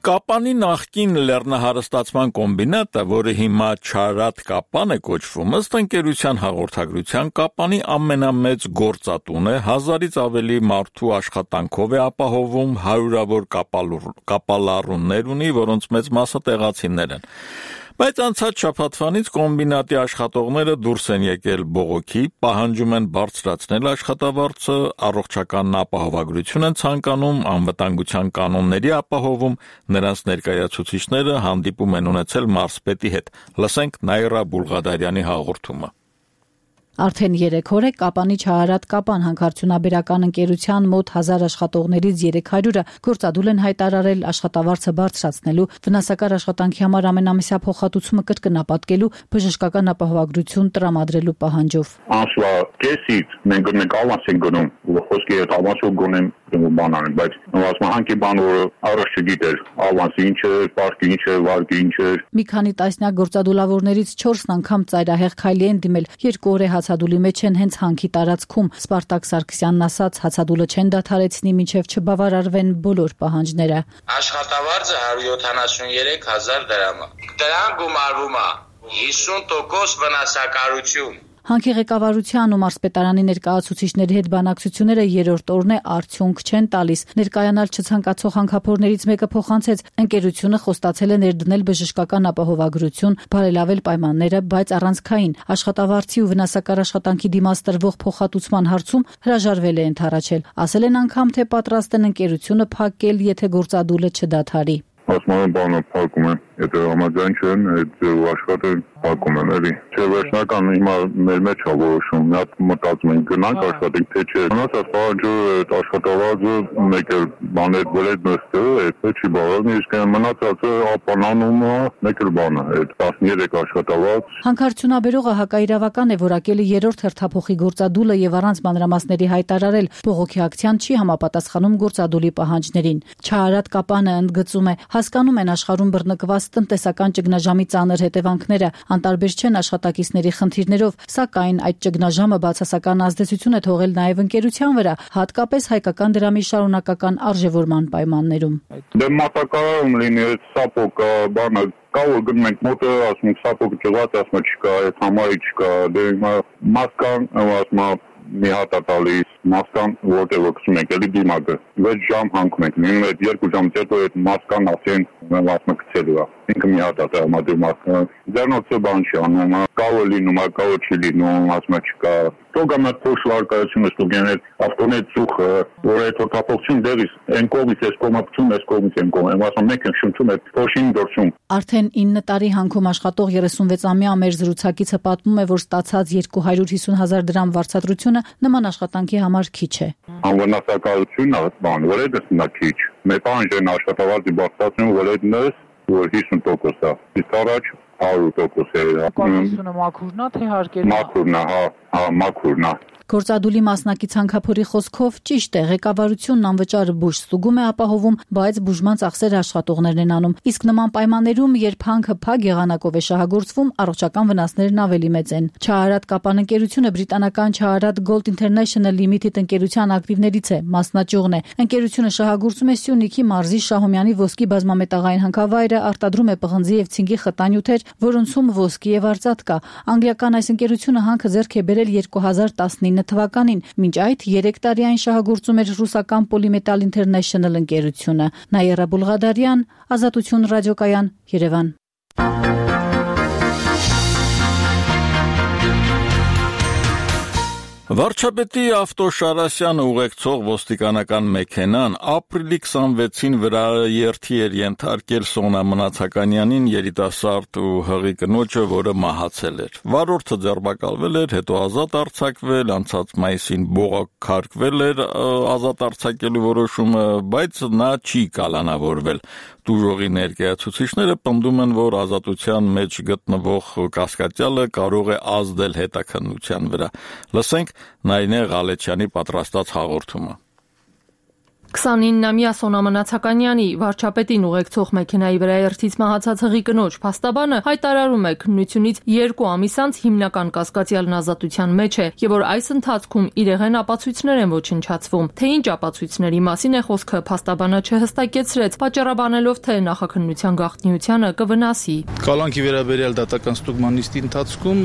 Կապանի նախկին լեռնահարստացման կոմբինատը, որը հիմա Չարատ Կապան է կոչվում, ըստ ընկերության հաղորդագրության Կապանի ամենամեծ գործատուն է, 1000-ից ավելի մարդու աշխատանքով է ապահովում, հարյուրավոր կապալառուներ ունի, որոնց մեծ մասը տեղացիներ են։ Բայց անցած շաբաթվանից կոմբինատի աշխատողները դուրս են եկել բողոքի, պահանջում են բարձրացնել աշխատավարձը, առողջական ապահովագրություն են ցանկանում, անվտանգության կանոնների ապահովում, նրանց ներկայացուցիչները հանդիպում են ունեցել մարզպետի հետ։ Լսենք Նայրա Բուլղադարյանի հաղորդումը։ Արդեն 3 օր է Կապանի Չարատ Կապան հանքարդյունաբերական ընկերության մոտ 1000 աշխատողներից 300-ը գործադուլ են հայտարարել աշխատավարձը բարձրացնելու, վնասակար աշխատանքի համար ամենամիսյա փոխհատուցումը կրկնապատկելու, բժշկական ապահովագրություն տրամադրելու պահանջով։ Ամսվա կեսից մենք նկատանք ենք գնում, խոսքի հետ ավանսով գոնեմ բանան, բայց ասմահանքի բան որ առաջ չգիտեր, ավանսը ինչ է, պարտքի ինչ է, վարկի ինչ է։ Մի քանի տասնյակ գործադուլավորներից 4 անգամ ծայրահեղ քայլի են դիմել, 2 օր է հացադուլի մեջ են հենց հանքի տարածքում։ Սպարտակ Սարգսյանն ասաց, հացադուլը չեն դադարեցնի մինչև չբավարարվեն բոլոր պահանջները։ Աշխատավարձը 173,000 դրամ է։ Դրան գումարվում է 50% վնասակարություն։ Հանքի ղեկավարության ու մարզպետարանի ներկայացուցիչների հետ բանակցությունները երրորդ օրն է արդյունք չեն տալիս։ Ներկայանալ չցանկացող հանքափորներից մեկը փոխանցեց, ընկերությունը խոստացել է ներդնել բժշկական ապահովագրություն, բարելավել պայմանները, բայց առանցքային աշխատավարձի ու վնասակար աշխատանքի դիմաց տրվող փոխհատուցման հարցում հրաժարվել է ընդառաջել։ Ասել են անգամ, թե պատրաստ են ընկերությունը փակել, եթե գործադուլը չդադարի։ Ասում բանը փակում են, եթե համաձայն չեն, այդ աշխատը փակում են, էլի։ Չէ, վերջնական հիմա մեր մեջ է որոշում, մի հատ մտածում ենք գնանք աշխատենք, թե չէ։ Մնացած պահանջը այդ աշխատավարձը մեկ էլ բաներ վրեջ նստը, այդ չի բավարարում, իսկ մնացածը ապանանումը մեկ էլ բանը, այդ 13 աշխատավարձ։ Հանքարդյունաբերողը հակաիրավական է որակել երրորդ հերթափոխի գործադուլը եւ առանց մանրամասների հայտարարել, բողոքի ակցիան չի համապատասխանում գործադուլի պահանջներին։ Չարատ Կապանը ընդգծում է, հասկանում են աշխարհում բռնկված տնտեսական ճգնաժամի ծանր հետևանքները անտարբեր չեն աշխատակիցների խնդիրներով, սակայն այդ ճգնաժամը բացասական ազդեցություն է թողել նաև ընկերության վրա, հատկապես հայկական դրամի շարունակական արժևորման պայմաններում։ Դե մատակարարում լինի սապոկ բանը կա որ գնում ենք մոտը ասում սապոկը ճղած ասում չկա, այդ համարի չկա, դե մասկան ասում մի հատ է տալիս մասկան որտեղ գցում ենք էլի դիմակը 6 ժամ հանգում ենք նույն այդ 2 ժամից հետո այդ մասկան ասեն ասում գցելու է ինքը մի հատ է տրամադրում մասկան ձեռնոցը բան չի անում կավը լինում կավը չի լինում ասում չկա Տոգամ այդ փոշու արկայությունը ստուգենել ավտոնետ ծուխը որ այդ հոգապողություն դերից այն կողմից այս կողմապություն այս կողմից են կողմ ասում մենք ենք շնչում այդ փոշին դրսում Արդեն 9 տարի հանգում աշխատող 36-ամյա մեր զրուցակիցը պատմում է որ ստացած 250,000 դրամ վարձատրությունը նման աշխատանքի համար քիչ է Անվնասակարությունն է բան որ այդ նա քիչ մեկ անջեն աշխատավարձի բարձրացնում որ այդ նես որ 50% է իսկ առաջ 100% է Կանոնությունը մաքուրն է թե հարկերն մաքուրն է հա մաքուրն է Գործադուլի մասնակից հանքափորի խոսքով ճիշտ է ղեկավարությունն անվճար բուժ ստուգում է ապահովում, բայց բուժման ծախսերը աշխատողներն են անում։ Իսկ նման պայմաններում, երբ հանքը փակ եղանակով է շահագործվում, առողջական վնասներն ավելի մեծ են։ Չահարատ Կապան ընկերությունը բրիտանական Չահարատ Gold International Limited ընկերության ակտիվներից է, մասնաճյուղն է։ Ընկերությունը շահագործում է Սյունիքի մարզի Շահումյանի ոսկի բազմամետաղային հանքավայրը, արտադրում է պղնձի եւ ցինկի խտանյութեր, որոնցում ոսկի եւ արծաթ կա։ Անգլիական այս ընկերությունը հանքը ձեռք է բերել 2019 թվականին, մինչ այդ 3 տարի այն շահագործում էր ռուսական Polymetal International ընկերությունը։ Նաիրա Բուլղադարյան, Ազատություն ռադիոկայան, Երևան։ Վարչապետի ավտոշարասյանը ուղեկցող ոստիկանական մեքենան ապրիլի 26-ին վրաերթի էր ենթարկել Սոնա Մնացականյանին երիտասարդ ու հղի կնոջը, որը մահացել էր։ Վարորդը ձերբակալվել էր, հետո ազատ արձակվել, անցած մայիսին բողոքարկվել էր ազատ արձակելու որոշումը, բայց նա չի կալանավորվել։ Դուժողի ներկայացուցիչները պնդում են, որ ազատության մեջ գտնվող կասկածյալը կարող է ազդել հետաքննության վրա։ Լսենք Նայնե Ղալեչյանի պատրաստած հաղորդումը։ 29-ամյա Սոնա Մնացականյանի վարչապետին ուղեկցող մեքենայի վրաերթից մահացած հղի կնոջ փաստաբանը հայտարարում է քննությունից 2 ամիս անց հիմնական կասկածյալն ազատության մեջ է եւ որ այս ընթացքում իրեղեն ապացույցներ են ոչնչացվում։ Թե ինչ ապացույցների մասին է խոսքը փաստաբանը չհստակեցրեց, պատճառաբանելով թե նախաքննության գաղտնիությանը կվնասի։ Կալանքի վերաբերյալ դատական ստուգման նիստի ընթացքում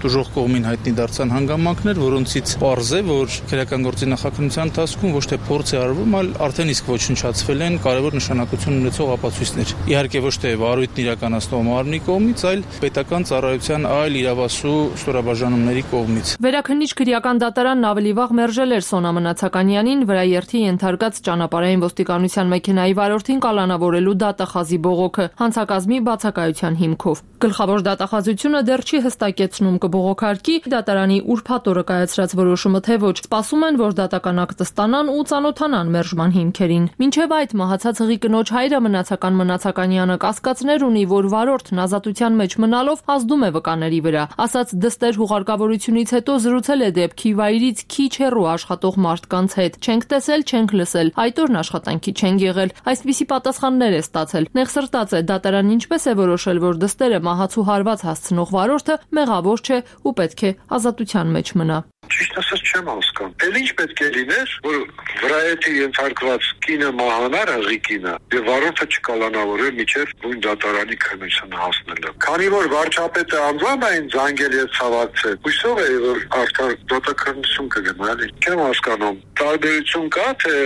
դժոխ կողմին հայտնի դարձան հանգամանքներ, որոնցից պարզ է, որ քրեական գործի նախաքննության ընթացքում ոչ թե փորձ է արվում, արդեն իսկ ոչնչացվել են կարևոր նշանակություն ունեցող ապացույցներ։ Իհարկե ոչ թե վարույթն իրականացնող մարմնի կողմից, այլ պետական ծառայության այլ իրավասու ստորաբաժանումների կողմից։ Վերաքննիչ քրեական դատարանն ավելի վաղ մերժել էր Սոնա Մնացականյանին վրաերթի ենթարկած ճանապարհային ոստիկանության մեքենայի վարորդին կալանավորելու դատախազի բողոքը հանցակազմի բացակայության հիմքով։ Գլխավոր դատախազությունը դեռ չի հստակեցնում կբողոքարկի դատարանի ուրբաթ օրը կայացրած որոշումը թե ոչ։ Սպասում են, որ դատական ակտը ստանան ու ծանոթանան մերժման հիմքերին։ Մինչև այդ մահացած հղի կնոջ հայրը Մնացականյանը կասկածներ ունի, որ վարորդն ազատության մեջ մնալով ազդում է վկաների վրա։ Ասած դստեր հուղարկավորությունից հետո զրուցել է դեպքի վայրից քիչ հեռու աշխատող մարդկանց հետ։ Չենք տեսել, չենք լսել, այդ օրն աշխատանքի չենք եղել։ Այսպիսի պատասխաններ է ստացել։ Նեղսրտած է դատարանն ինչպես է որոշել, որ դստերը մահացու հարված հասցնող վարորդը մեղավոր չէ ու պետք է ազատության մեջ մնա։ Ճիշտ ասած չեմ հասկանում։ Էլ ինչ պետք է լիներ, որ վրաերթի ենթարկված կինը մահանար հղի կինը եւ վարորդը չկալանավորեր միջև նույն դատարանի քննությունը հասնելը։ Քանի որ վարչապետը անձնային զանգել եւ ցավակցել, հույսով է որ արդար դատաքննություն կգնա, էլի չեմ հասկանում։ Տարբերություն կա թե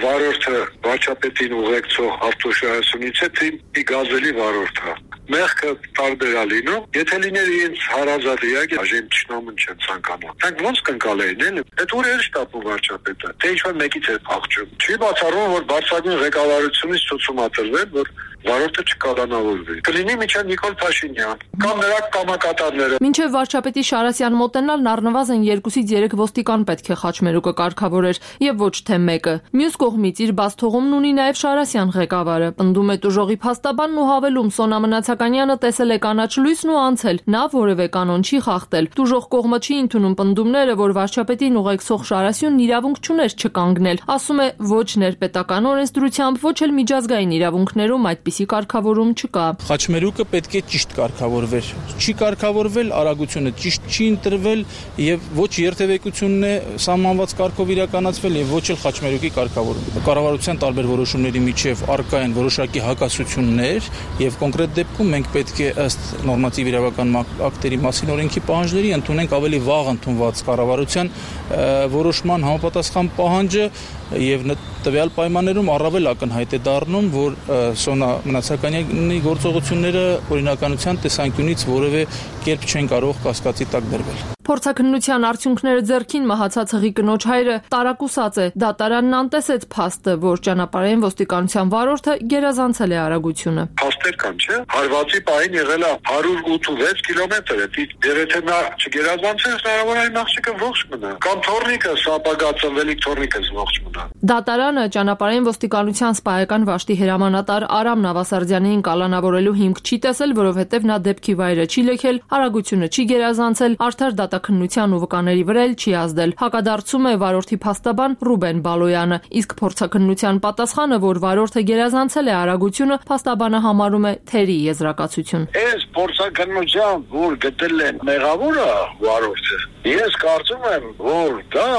վարորդը վարչապետին ուղեկցող ավտոշարասյունից է թե մի գազելի վարորդը։ Մեղքը տարբեր է լինում, եթե լիներ իրենց հարազատ իհարկե այժմ ճշտամուն չեն ցանկանում։ Դրանք ոնց կընկալեին էլի։ Այդ ուր շտապում վարչապետը։ Թե ինչ-որ մեկից է փախչում։ Չի բացառվում, որ բարձրագույն ղեկավարությունից ցույց է տրվել, որ վարորդը չկալանավորվի։ Կլինի միջան Նիկոլ Փաշինյան կամ նրա կամակատարները։ Մինչև վարչապետի Շարասյան մոտենալն առնվազն 2-ից 3 ոստիկան պետք է խաչմերուկը կարգավորեր եւ ոչ թե մեկը։ Մյուս կողմից իր բաց թողումն ունի նաեւ Շարասյան ղեկավարը։ Պնդում է դժողի փաստաբանն ու հավելում Սոնա Նացականյանը տեսել է կանաչ լույսն ու անցել, նա որևէ կանոն չի խախտել։ Տուժող կողմը չի ընդունում պնդումները, որ վարչապետին ուղեկցող Շարասյունն իրավունք չուներ չկանգնել։ Ասում է, ոչ ներպետական օրենսդրությամբ, ոչ էլ միջազգային իրավունքներում այդպիսի կարգավորում չկա։ Խաչմերուկը պետք է ճիշտ կարգավորվեր։ Չի կարգավորվել, արագությունը ճիշտ չի ընտրվել եւ ոչ երթևեկությունն է սահմանված կարգով իրականացվել եւ ոչ էլ խաչմերուկի կարգավորումը։ Կառավարության տարբեր որոշումների միջև առկա են որոշակի հակասություններ եւ կոնկրետ դեպքում մենք պետք է ըստ նորմատիվ իրավական ակտերի մասին օրենքի պահանջների ընդունենք ավելի վաղ ընդունված կառավարության որոշման համապատասխան պահանջը եւ տվյալ պայմաններում առավել ակնհայտ է դառնում, որ Սոնա Մնացականյանի գործողությունները օրինականության տեսանկյունից որևէ կերպ չեն կարող կասկածի տակ դրվել։ Փորձաքննության արդյունքները ձեռքին մահացած հղի կնոջ հայրը տարակուսած է։ Դատարանն անտեսեց փաստը, որ ճանապարհային ոստիկանության վարորդը գերազանցել է արագությունը։ Փաստեր կան, չէ՞։ Հարվածի պահին եղել է 186 կիլոմետր, դեռ եթե նա չգերազանցեր, հնարավոր է աղջիկը ողջ մնա։ Կամ թորնիկը սապագա ծնվելիք թորնիկը ողջ մնա։ Դատարանը ճանապարհային ոստիկանության սպայական վաշտի հրամանատար Արամ Նավասարդյանին կալանավորելու հիմք չի տեսել, որովհետև նա դեպքի վայրը չի լքել, արագությունը չի գերազանցել, արդար դատաքննության ու վկաների վրա էլ չի ազդել։ Հակադարձում է վարորդի փաստաբան Ռուբեն Բալոյանը, իսկ փորձաքննության պատասխանը, որ վարորդը գերազանցել է արագությունը, փաստաբանը համարում է թերի եզրակացություն։ Այս փորձաքննության, որ գտել են մեղավորը վարորդը, ես կարծում եմ, որ դա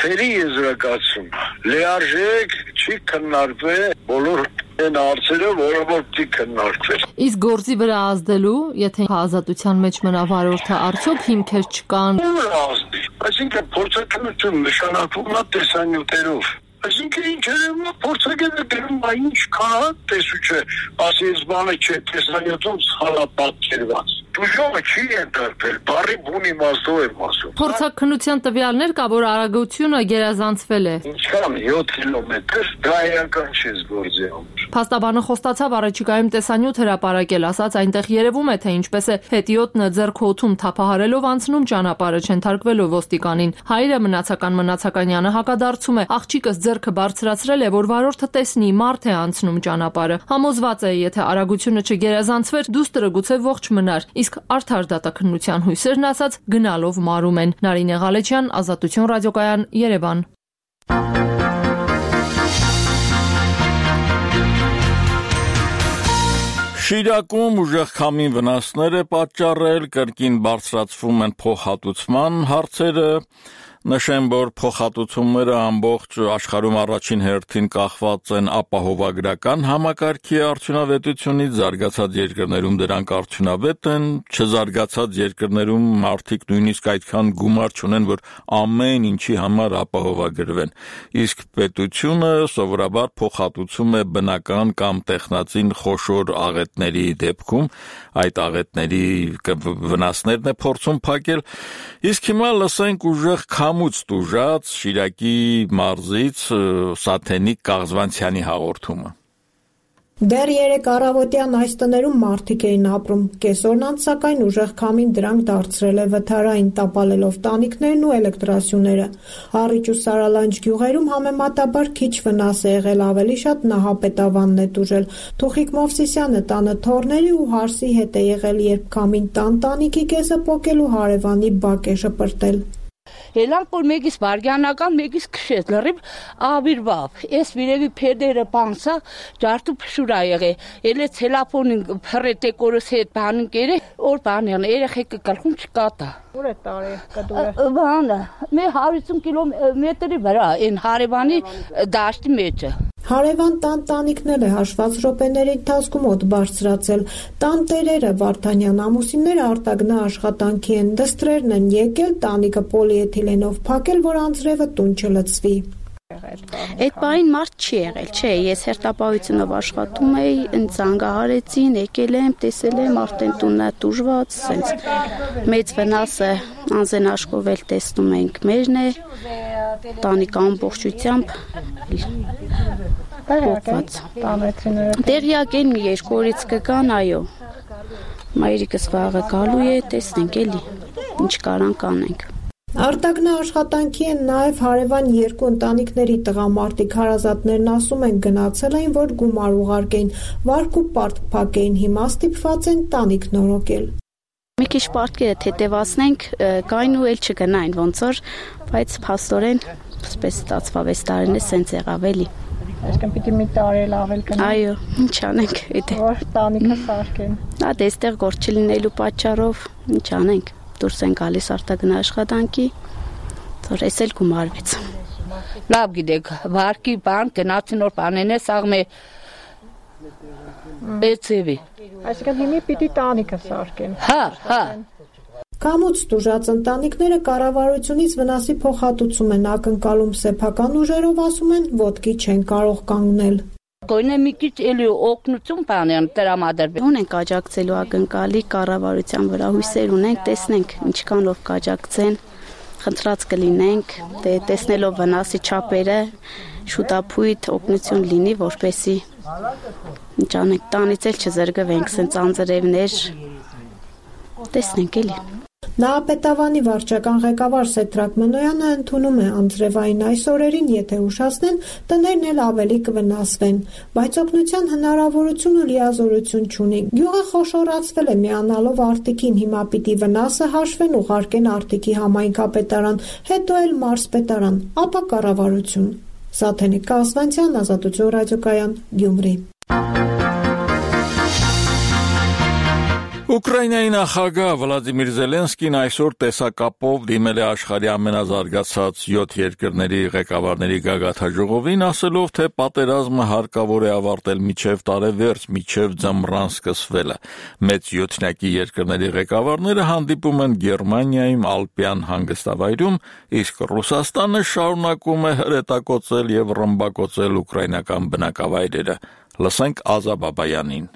թերի եզրակացում լիարժեք չի քննարկվել բոլոր այն հարցերը, որը որ պիտի քննարկվեն։ Իսկ գործի վրա ազդելու, եթե ազատության մեջ մնա վարորդը, արդյոք հիմքեր չկան։ Այսինքն փորձաքննություն նշանակվում է տեսանյութերով։ Այսինքն ինչերում փորձագետը դերում է ինչ կա տեսուչը, ասի այս բանը չէ, տեսանյութում սխալ պատկերված։ Դժողը չի ընդդարվել, բարի բուն իմաստով եմ ասում։ Փորձաքննության տվյալներ կա, որ արագությունը գերազանցվել է։ Ինչքան 7 կիլոմետր, դա իրական չի զգործի համար։ Փաստաբանը խոստացավ առաջիկայում տեսանյութ հրապարակել, ասաց այնտեղ երևում է, թե ինչպես է հետիոտնը ձեռքոթում թափահարելով անցնում ճանապարհը չընթարկվելով ոստիկանին։ Հայրը Մնացականյանը հակադարձում է, աղջիկս ձեռքը բարձրացրել է, որ վարորդը տեսնի մարդ է անցնում ճանապարհը։ Համոզված է, եթե արագությունը չգերազանցվեր, դուստրը գուցե ողջ մնար։ Իսկ արդար դատաքննության հույսերն ասած գնալով մարում են։ Նարինե Ղալեչյան, Ազատություն ռադիոկայան, Երևան։ Շիրակում ուժեղ քամին վնասներ է պատճառել, կրկին բարձրացվում են փոխհատուցման հարցերը։ Նշեմ, որ փոխհատուցումները ամբողջ աշխարհում առաջին հերթին կախված են ապահովագրական համակարգի արդյունավետությունից, զարգացած երկրներում դրանք արդյունավետ են, չզարգացած երկրներում մարդիկ նույնիսկ այդքան գումար չունեն, որ ամեն ինչի համար ապահովագրվեն։ Իսկ պետությունը սովորաբար փոխհատուցում է բնական կամ տեխնացին խոշոր աղետների դեպքում, այդ աղետների վնասներն է փորձում փակել։ Իսկ հիմա լսենք ուժեղ քամուց տուժած Շիրակի մարզից Սաթենիկ Կաղզվանցյանի հաղորդումը։ Դեռ 3 առավոտյան այս տներում մարդիկ էին ապրում, կեսօրն անց սակայն ուժեղ քամին դրանք դարձրել է վթարային, տապալելով տանիքներն ու էլեկտրասյուները։ Առիճ ու Սարալանջ գյուղերում համեմատաբար քիչ վնաս է եղել, ավելի շատ նահապետավանն է տուժել։ Թուխիկ Մովսիսյանը տանը թորների ու հարսի հետ է եղել, երբ քամին տանտանիքի կեսը պոկել ու հարևանի բակ է շպրտել։ Ելան որ մեկից վարգյանական, մեկից քշեց, լրիվ աբիրվավ։ Ես վիրևի փեդերը պանսա, ջարտու փշուրա եղե։ Ելե տելեֆոնին փռետե կորս հետ բանին կերե, որ բանն երեխեքը գլխում չկատա։ Ուր է տարի կդուրը։ Բանը, մի 150 կիլոմետրի վրա, այն հարևանի դաշտի մեջը։ Հարևան տանտանիքն է հաշված րոպեների ընթացքում օդ բարձրացել։ Տան տերերը Վարդանյան ամուսինները արտագնա աշխատանքի են, դստրերն են եկել, տանիքը պոլիէթիլենով փակել, որ անձրևը տուն չլցվի։ Այդ բային մարդ չի եղել, չէ, ես հերթապահությունով աշխատում էի, ինձ զանգահարեցին, եկել եմ, տեսել եմ, արդեն տունն է տուժված, սենց մեծ վնասը անձեն աշխովել տեսնում ենք մերն է, տանիքը ամբողջությամբ փոխված։ Տեղյակ են մի 2 օրից կգան, այո, մայրիկս վաղը գալու է, տեսնենք էլի, ինչ կարանք անենք։ Արտագնա աշխատանքի են նաև հարևան երկու ընտանիքների տղամարդիկ հարազատներն ասում են գնացել էին, որ գումար ուղարկեին, վարկ ու պարտք փակեին, հիմա ստիպված են տանիք նորոգել։ Մի քիչ պարտքերը թեթևացնենք, կային ու էլ չգնային ոնց որ, բայց փաստորեն սպես ստացվավ այս տարին է սենց եղավ էլի։ Այսինքն պիտի մի տարի ավել կնա։ Այո, ինչ անենք, եթե որ տանիքը սարքեն։ Դա դեստեղ գործ չլինելու պատճառով ինչ անենք։ Դուրս են գալիս արտագնա աշխատանքի, որ էս էլ գումարվեց։ Լավ գիտեք, վարկի բան գնացին որ բանեն է սաղմե բեցեվի։ Այսինքն հիմի պիտի տանիքը սարքեն։ Հա։ Կամուց տուժած ընտանիքները կառավարությունից վնասի փոխհատուցում են ակնկալում, սեփական ուժերով ասում են ոտքի չեն կարող կանգնել։ Գույնը մի քիչ էլի օգնություն բանեն տրամադրվի։ Ունենք աջակցելու ակնկալի կառավարության վրա հույսեր ունենք, տեսնենք ինչքանով կաջակցեն, խնդրած կլինենք, տեսնելով վնասի չափերը, շուտապույտ օգնություն լինի, որպեսզի ինչ անենք, տանից էլ չզրկվենք, սենց անձրևներ, տեսնենք էլի։ Նահապետավանի վարչական ղեկավար Սեդրակ Մնոյանը ընդունում է անձրևային այս օրերին, եթե ուշացնեն, տներն էլ ավելի կվնասվեն, բայց օգնության հնարավորություն ու լիազորություն չունի։ Գյուղը խոշորացվել է միանալով Արտիկին, հիմա պիտի վնասը հաշվեն, ուղարկեն Արտիկի համայնքապետարան, հետո էլ մարզպետարան, ապա կառավարություն։ Սաթենիկ Կասվանցյան, Ազատություն ռադիոկայան, Գյումրի։ Ուկրաինայի նախագահ Վլադիմիր Զելենսկին այսօր տեսակապով դիմել է աշխարհի ամենազարգացած 7 երկրների ղեկավարների գագաթնաժողովին, ասելով, թե պատերազմը հարկավոր է ավարտել մինչև տարեվերջ, մինչև ձմռան սկսվելը։ Մեծ 7-յակի երկրների ղեկավարները հանդիպում են Գերմանիայում Ալպյան հանգստավայրում, իսկ Ռուսաստանը շարունակում է հրետակոծել եւ ռմբակոծել ուկրաինական բնակավայրերը։ Լսենք Ազա Բաբայանին։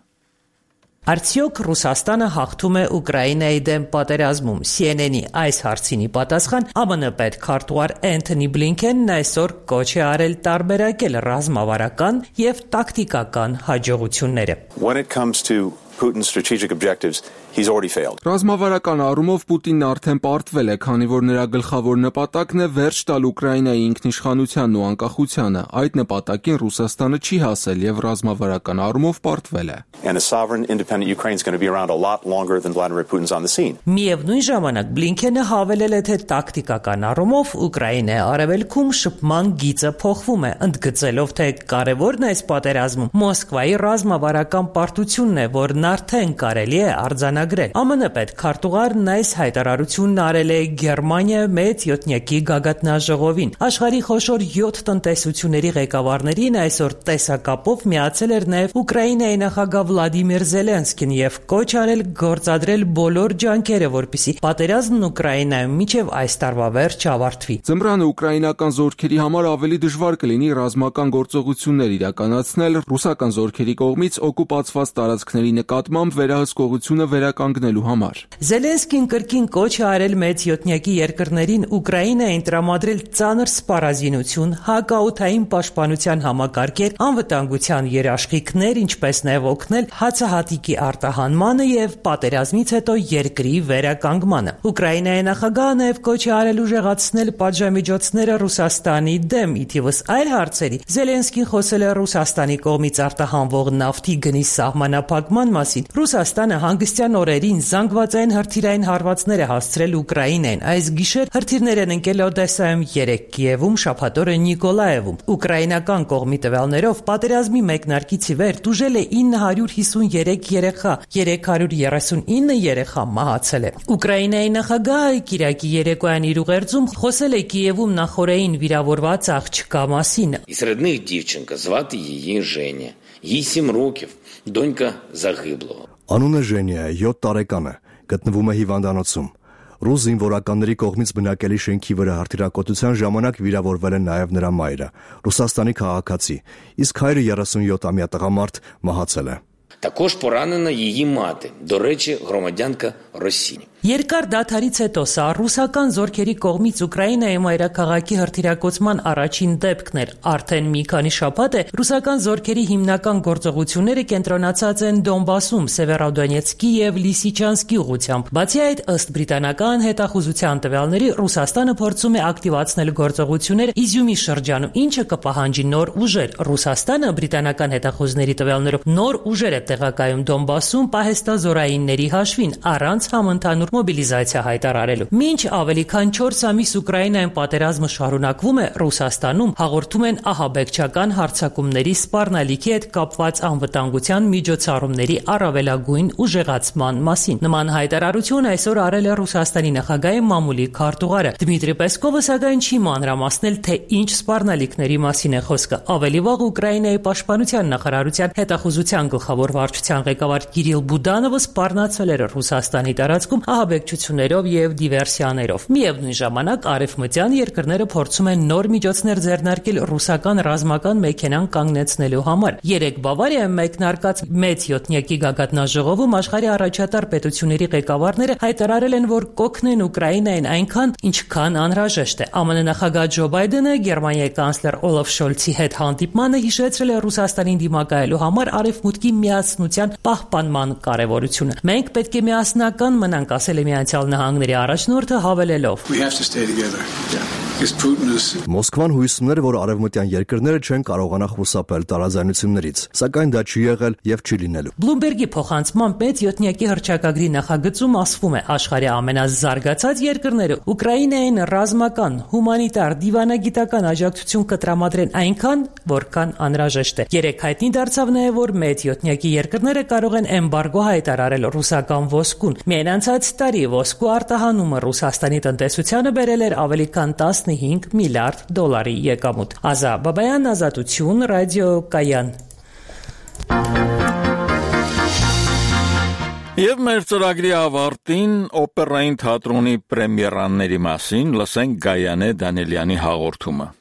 Արդյոք Ռուսաստանը հաղթում է Ուկրաինայի դեմ պատերազմում։ CNN-ի այս հարցինի պատասխան ԱՄՆ պետքարտուղար Էնթոնի Բլինքենն այսօր կոչ է արել տարբերակել ռազմավարական եւ տակտիկական հաջողությունները։ When it comes to Putin's strategic objectives, he's already failed. Ռազմավարական առումով Պուտինն արդեն պարտվել է, քանի որ նրա գլխավոր նպատակն է վերջ տալ Ուկրաինայի ինքնիշխանությանն ու անկախությանը։ Այդ նպատակին Ռուսաստանը չի հասել եւ ռազմավարական առումով պարտվել է։ And a sovereign independent Ukraine is going to be around a lot longer than Vladimir Putin's on the scene. Միևնույն ժամանակ Բլինքենը հավելել է, թե տակտիկական առումով Ուկրաինայի արևելքում շփման գիծը փոխվում է, ընդգծելով, թե կարևորն այս պատերազմում Մոսկվայի ռազմավարական պարտությունն է, որն արդեն կարելի է արձանագրել։ ԱՄՆ պետքարտուղարն այս հայտարարությունն արել է Գերմանիայի մեծ 7-յակի գագաթնաժողովին։ Աշխարհի խոշոր 7 տնտեսությունների ղեկավարներին այսօր տեսակապով միացել էր նաև Ուկրաինայի նախագահ Վլադիմիր Զելենսկին եւ կոչ արել գործադրել բոլոր ջանքերը, որպեսզի պատերազմն Ուկրաինայում մինչև այս տարվա վերջ ավարտվի։ Ձմռանը ուկրաինական զորքերի համար ավելի դժվար կլինի ռազմական գործողություններ իրականացնել ռուսական զորքերի կողմից օկուպացված տարածքների նկատմամբ վերահսկողությունը վերականգնելու համար։ Զելենսկին կրկին կոչ է արել մեծ 7-յակի երկրներին Ուկրաինային տրամադրել ծանր սպառազինություն, հակաօդային պաշտպանության համակարգեր, անվտանգության երաշխիքներ, ինչպես նաև օգնել հացահատիկի արտահանմանը եւ պատերազմից հետո երկրի վերականգմանը։ Ուկրաինայի նախագահը նաև կոչ է արել ուժեղացնել պատժամիջոցները Ռուսաստանի դեմ, ի թիվս այլ հարցերի։ Զելենսկին խոսել է Ռուսաստանի կողմից արտահանվող նավթի գնի սահմանափակման մասին։ Ռուսաստանը հանգստյան օրերին զանգվածային հրթիռային հարվածներ է հասցրել Ուկրաինային։ Այս գիշեր հրթիռներ են ընկել Օդեսայում, 3 Կիևում, շաբաթ օրը Նիկոլաևում։ Ուկրաինական կողմի տվյալներով պատերազմի մեկնարկից ի վեր տուժել է 953 երեխա, 339 երեխա մահացել է։ Ուկրաինայի նախագահը Կիրակի երեկոյան իր ուղերձում խոսել է Կիևում նախորդին վիրավորված աղջկա մասին։ Із рідних дівчинка, звати її Женя. Їй 7 років, донька загиблого. Անունը Ժենիա է, 7 տարեկան է, գտնվում է հիվանդանոցում։ Ռուս զինվորականների կողմից բնակելի շենքի վրա հրթիռակոծության ժամանակ վիրավորվել է նաև նրա մայրը, Ռուսաստանի քաղաքացի, իսկ հայրը 37-ամյա տղամարդ մահացել է։ Також поранена її мати, до речі, громадянка Росії. Երկար դադարից հետո սա ռուսական զորքերի կողմից Ուկրաինայի մայրաքաղաքի հրթիռակոծման առաջին դեպքն էր։ Արդեն մի քանի շաբաթ է ռուսական զորքերի հիմնական գործողությունները կենտրոնացած են Դոնբասում, Սևերոդոնեցկի եւ Լիսիչանսկի ուղղությամբ։ Բացի այդ, ըստ բրիտանական հետախուզության տվյալների, Ռուսաստանը փորձում է ակտիվացնել գործողություններ Իզյումի շրջանում, ինչը կպահանջի նոր ուժեր։ Ռուսաստանը բրիտանական հետախուզների տվյալներով նոր ուժեր է տեղակայում Դոնբասում պահեստազորայինների հաշվին, առանց համընդհանուր մոբիլիզացիա հայտարարելու։ Մինչ ավելի քան 4 ամիս Ուկրաինայում պատերազմը շարունակվում է, Ռուսաստանում հաղորդում են ահաբեկչական հարձակումների սպառնալիքի հետ կապված անվտանգության միջոցառումների առավելագույն ուժեղացման մասին։ Նման հայտարարություն այսօր արել է Ռուսաստանի նախագահի մամուլի քարտուղարը։ Դմիտրի Պեսկովը սակայն չի մանրամասնել, թե ինչ սպառնալիքների մասին է խոսքը։ Ավելի վաղ Ուկրաինայի պաշտպանության նախարարության հետախուզության գլխավոր վարչության ղեկավար Կիրիլ Բուդանովը սպառնացել էր Ռուսաստանի տարածքում ահաբեկչություններով եւ դիվերսիաներով։ Միևնույն ժամանակ արևմտյան երկրները փորձում են նոր միջոցներ ձեռնարկել ռուսական ռազմական մեքենան կանգնեցնելու համար։ Երեք Բավարիայում մեկնարկած մեծ յոթնյակի գագաթնաժողովում աշխարհի առաջատար պետությունների ղեկավարները հայտարարել են, որ կօգնեն Ուկրաինային այնքան, ինչքան անհրաժեշտ է։ ԱՄՆ նախագահ Ջո Բայդենը Գերմանիայի կանցլեր Օլաֆ Շոլցի հետ հանդիպմանը հիշեցրել է Ռուսաստանին դիմակայելու համար արևմուտքի միասնության պահպանման կարևորությունը։ Մենք պետք է միասնական մնանք, ասել է Միացյալ Նահանգների առաջնորդը, հավելելով. Մոսկվան հույսում էր, որ արևմտյան երկրները չեն կարողանա խուսափել տարաձայնություններից, սակայն դա չի եղել եւ չի լինելու։ Բլումբերգի փոխանցմամբ մեծ յոթնյակի հռչակագրի նախագծում ասվում է, աշխարհի ամենազարգացած երկրները Ուկրաինային ռազմական, հումանիտար, դիվանագիտական աջակցություն կտրամադրեն այնքան, որքան անհրաժեշտ է։ Երեք հայտնի դարձավ նաև, որ մեծ յոթնյակի երկրները կարող են էմբարգո հայտարարել ռուսական ոսկուն։ Միայն անցած տարի ոսկու արտահանումը Ռուսաստանի տնտեսությանը բերել էր ավելի քան 15 միլիարդ դոլարի եկամուտ։ Ազա Բաբայան, Ազատություն, ռադիո Կայան։ Եվ մեր ծրագրի ավարտին օպերային թատրոնի պրեմիերաների մասին լսենք Գայանե Դանիելյանի հաղորդումը։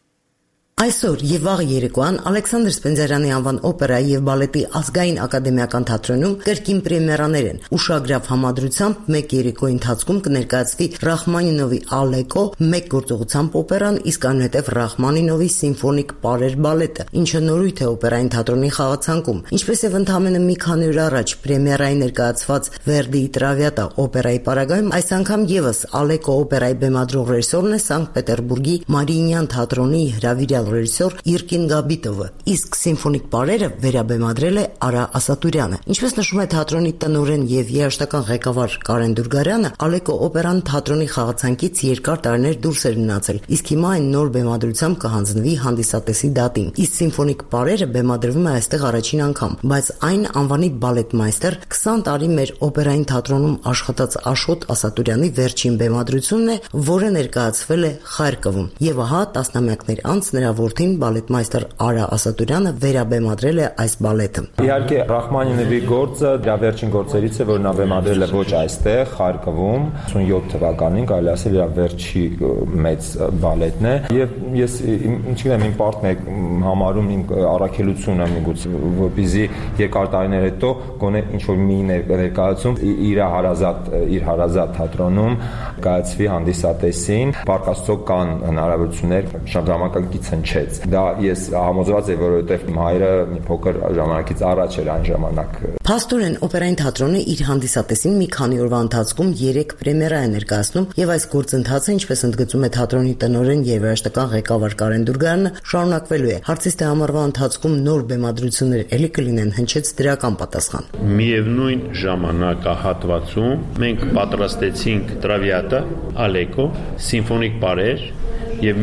Այսօր եւ վաղ երեկոյան Ալեքսանդր Սպենդիարյանի անվան օպերայի եւ բալետի ազգային ակադեմիական թատրոնում կրկին պրեմիերաներ են։ Ուշագրավ համադրությամբ մեկ երեկոյի ընթացքում կներկայացվի Ռախմանինովի Ալեկո մեկ գործողությամբ օպերան, իսկ այնուհետև Ռախմանինովի Սիմֆոնիկ պարեր բալետը, ինչը նորույթ է օպերային թատրոնի խաղացանկում։ Ինչպես եւ ընդամենը մի քանի օր առաջ պրեմիերայի ներկայացված Վերդիի Տրավիատա օպերայի պարագայում, այս անգամ եւս Ալեկո օպերայի բեմադրող ռեժիսորն է Սանկտ Պետերբուրգի Մարիինյան թատրոնի հրավիրյալ ռեժիսոր Իրկին Գաբիտովը, իսկ սիմֆոնիկ պարերը վերաբեմադրել է Արա Ասատուրյանը։ Ինչպես նշում է թատրոնի տնօրեն եւ երաժշտական ղեկավար Կարեն Դուրգարյանը, Ալեկո օպերան թատրոնի խաղացանկից երկար տարիներ դուրս էր մնացել, իսկ հիմա այն նոր բեմադրությամբ կհանձնվի հանդիսատեսի դատին։ Իսկ սիմֆոնիկ պարերը բեմադրվում է այստեղ առաջին անգամ, բայց այն անվանի բալետմայստեր 20 տարի մեր օպերային թատրոնում աշխատած Աշոտ Ասատուրյանի վերջին բեմադրությունն է, որը ներկայացվել է Խարկովում։ Եվ ահա տասնամյակներ անց նրա որդին բալետմայստեր Արա Ասատուրյանը վերաբեմադրել է այս բալետը։ Իհարկե Ռախմանինովի գործը դրա վերջին գործերից է, որ նա բեմադրել է ոչ այստեղ, Խարկովում, 87 թվականին, կարելի ասել իր վերջի մեծ բալետն է, եւ ես ինչքան իմ պարտն է համարում իմ առաքելությունը միգուցե, որպեսզի երկար տարիներ հետո գոնե ինչ որ մի ներկայացում իր հարազատ թատրոնում կայացվի հանդիսատեսին։ Փառք Աստծո կան հնարավորություններ ժամանակակից հնչեց։ Դա ես համոզված եմ, որովհետև իմ հայրը մի փոքր ժամանակից առաջ էր այն ժամանակ։ Փաստորեն օպերային թատրոնը իր հանդիսատեսին մի քանի օրվա ընթացքում 3 պրեմիերա է ներկայացնում եւ այս գործընթացը, ինչպես ընդգծում է թատրոնի տնօրեն եւ երաժշտական ղեկավար Կարեն Դուրգարյանը, շարունակվելու է։ Հարցից թե ամառվա ընթացքում նոր բեմադրություններ էլի կլինեն, հնչեց դրական պատասխան։ Միևնույն ժամանակահատվածում մենք պատրաստեցինք Տրավիատա, Ալեկո, սիմֆոնիկ պարեր եւ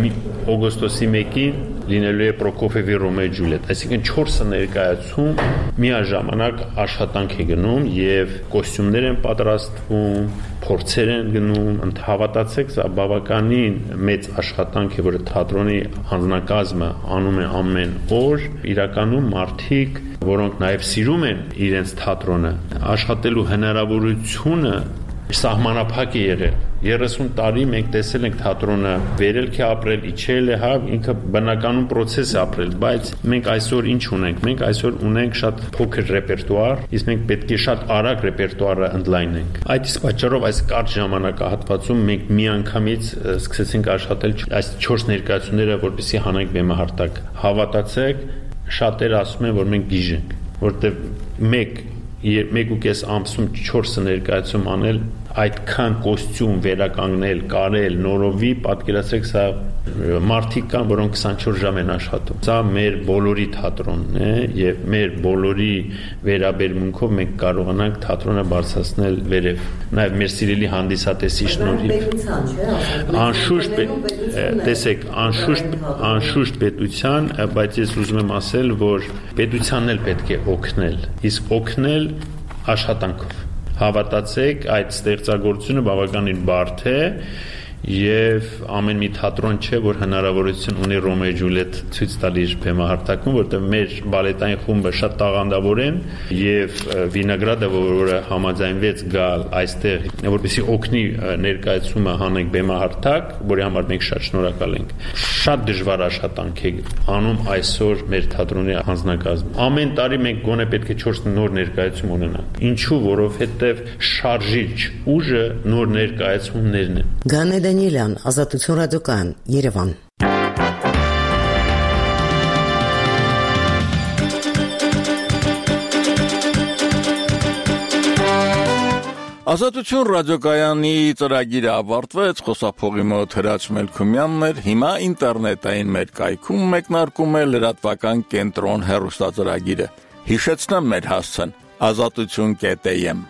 օգոստոսի 1-ին լինելու է Պրոկոֆիևի Ռոմեո Ջուլիետ, այսինքն 4 ներկայացում միաժամանակ աշխատանք է գնում եւ կոստյումներ են պատրաստվում, փորձեր են գնում, հավատացեք, սա բավականին մեծ աշխատանք է, որը թատրոնի հանձնակազմը անում է ամեն օր, իրականում մարդիկ, որոնք նաեւ սիրում են իրենց թատրոնը, աշխատելու հնարավորությունը սահմանափակ է եղել։ 30 տարի մենք տեսել ենք թատրոնը վերելք է ապրել, իջել է, հա, ինքը բնականon process է ապրել, բայց մենք այսօր ինչ ունենք։ Մենք այսօր ունենք շատ փոքր ռեպերտուար, իսկ մենք պետք է շատ արագ ռեպերտուարը ընդլայնենք։ Այդ իսկ պատճառով այս կարճ ժամանակահատվածում մենք միանգամից սկսեցինք աշխատել այս 4 ներկայացումները, որպեսզի հանենք բեմահարտակ։ Հավատացեք, շատերը ասում են, որ մենք գիժ ենք, որտեղ 1.5 ամսում 4 ներկայացում անել, այդքան կոստյում վերականգնել, կարել, նորովի, պատկերացրեք, սա մարդիկ կան, որոնք 24 ժամ են աշխատում։ Սա մեր բոլորի թատրոնն է եւ մեր բոլորի վերաբերմունքով մենք կարողանանք թատրոնը բարձրացնել վերև։ Նաեւ մեր սիրելի հանդիսատեսի շնորհիվ։ Անշուշտ, տեսեք, անշուշտ պետության, բայց ես ուզում եմ ասել, որ պետությանն էլ պետք է օգնել, իսկ օգնել աշխատանքով։ Հավատացեք, այդ ստեղծագործությունը բավականին բարդ է եւ ամեն մի թատրոն չէ, որ հնարավորություն ունի Ռոմեո եւ Ջուլիետ ցույց տալ իր բեմահարտակում, որտեղ մեր բալետային խումբը շատ տաղանդավոր են եւ Վինոգրադը, որը համաձայնվեց գալ այստեղ, որպեսզի օգնի ներկայացումը հանենք բեմահարտակ, որի համար մենք շատ շնորհակալ ենք։ Շատ դժվար աշխատանք է անում այսօր մեր թատրոնի հանձնակազմը։ Ամեն տարի մենք գոնե պետք է 4 նոր ներկայացում ունենանք։ Ինչու, որովհետեւ շարժիչ ուժը նոր ներկայացումներն են։ Գանե Դանիելյան, Ազատություն ռադիոկայան, Երևան։ Ազատություն ռադիոկայանի ծրագիրը ավարտվեց, խոսափողի մոտ Հրաչ Մելքումյանն էր, հիմա ինտերնետային մեր կայքում մեկնարկում է լրատվական կենտրոն հեռուստածրագիրը։ Հիշեցնեմ մեր հասցեն՝ azatutun.am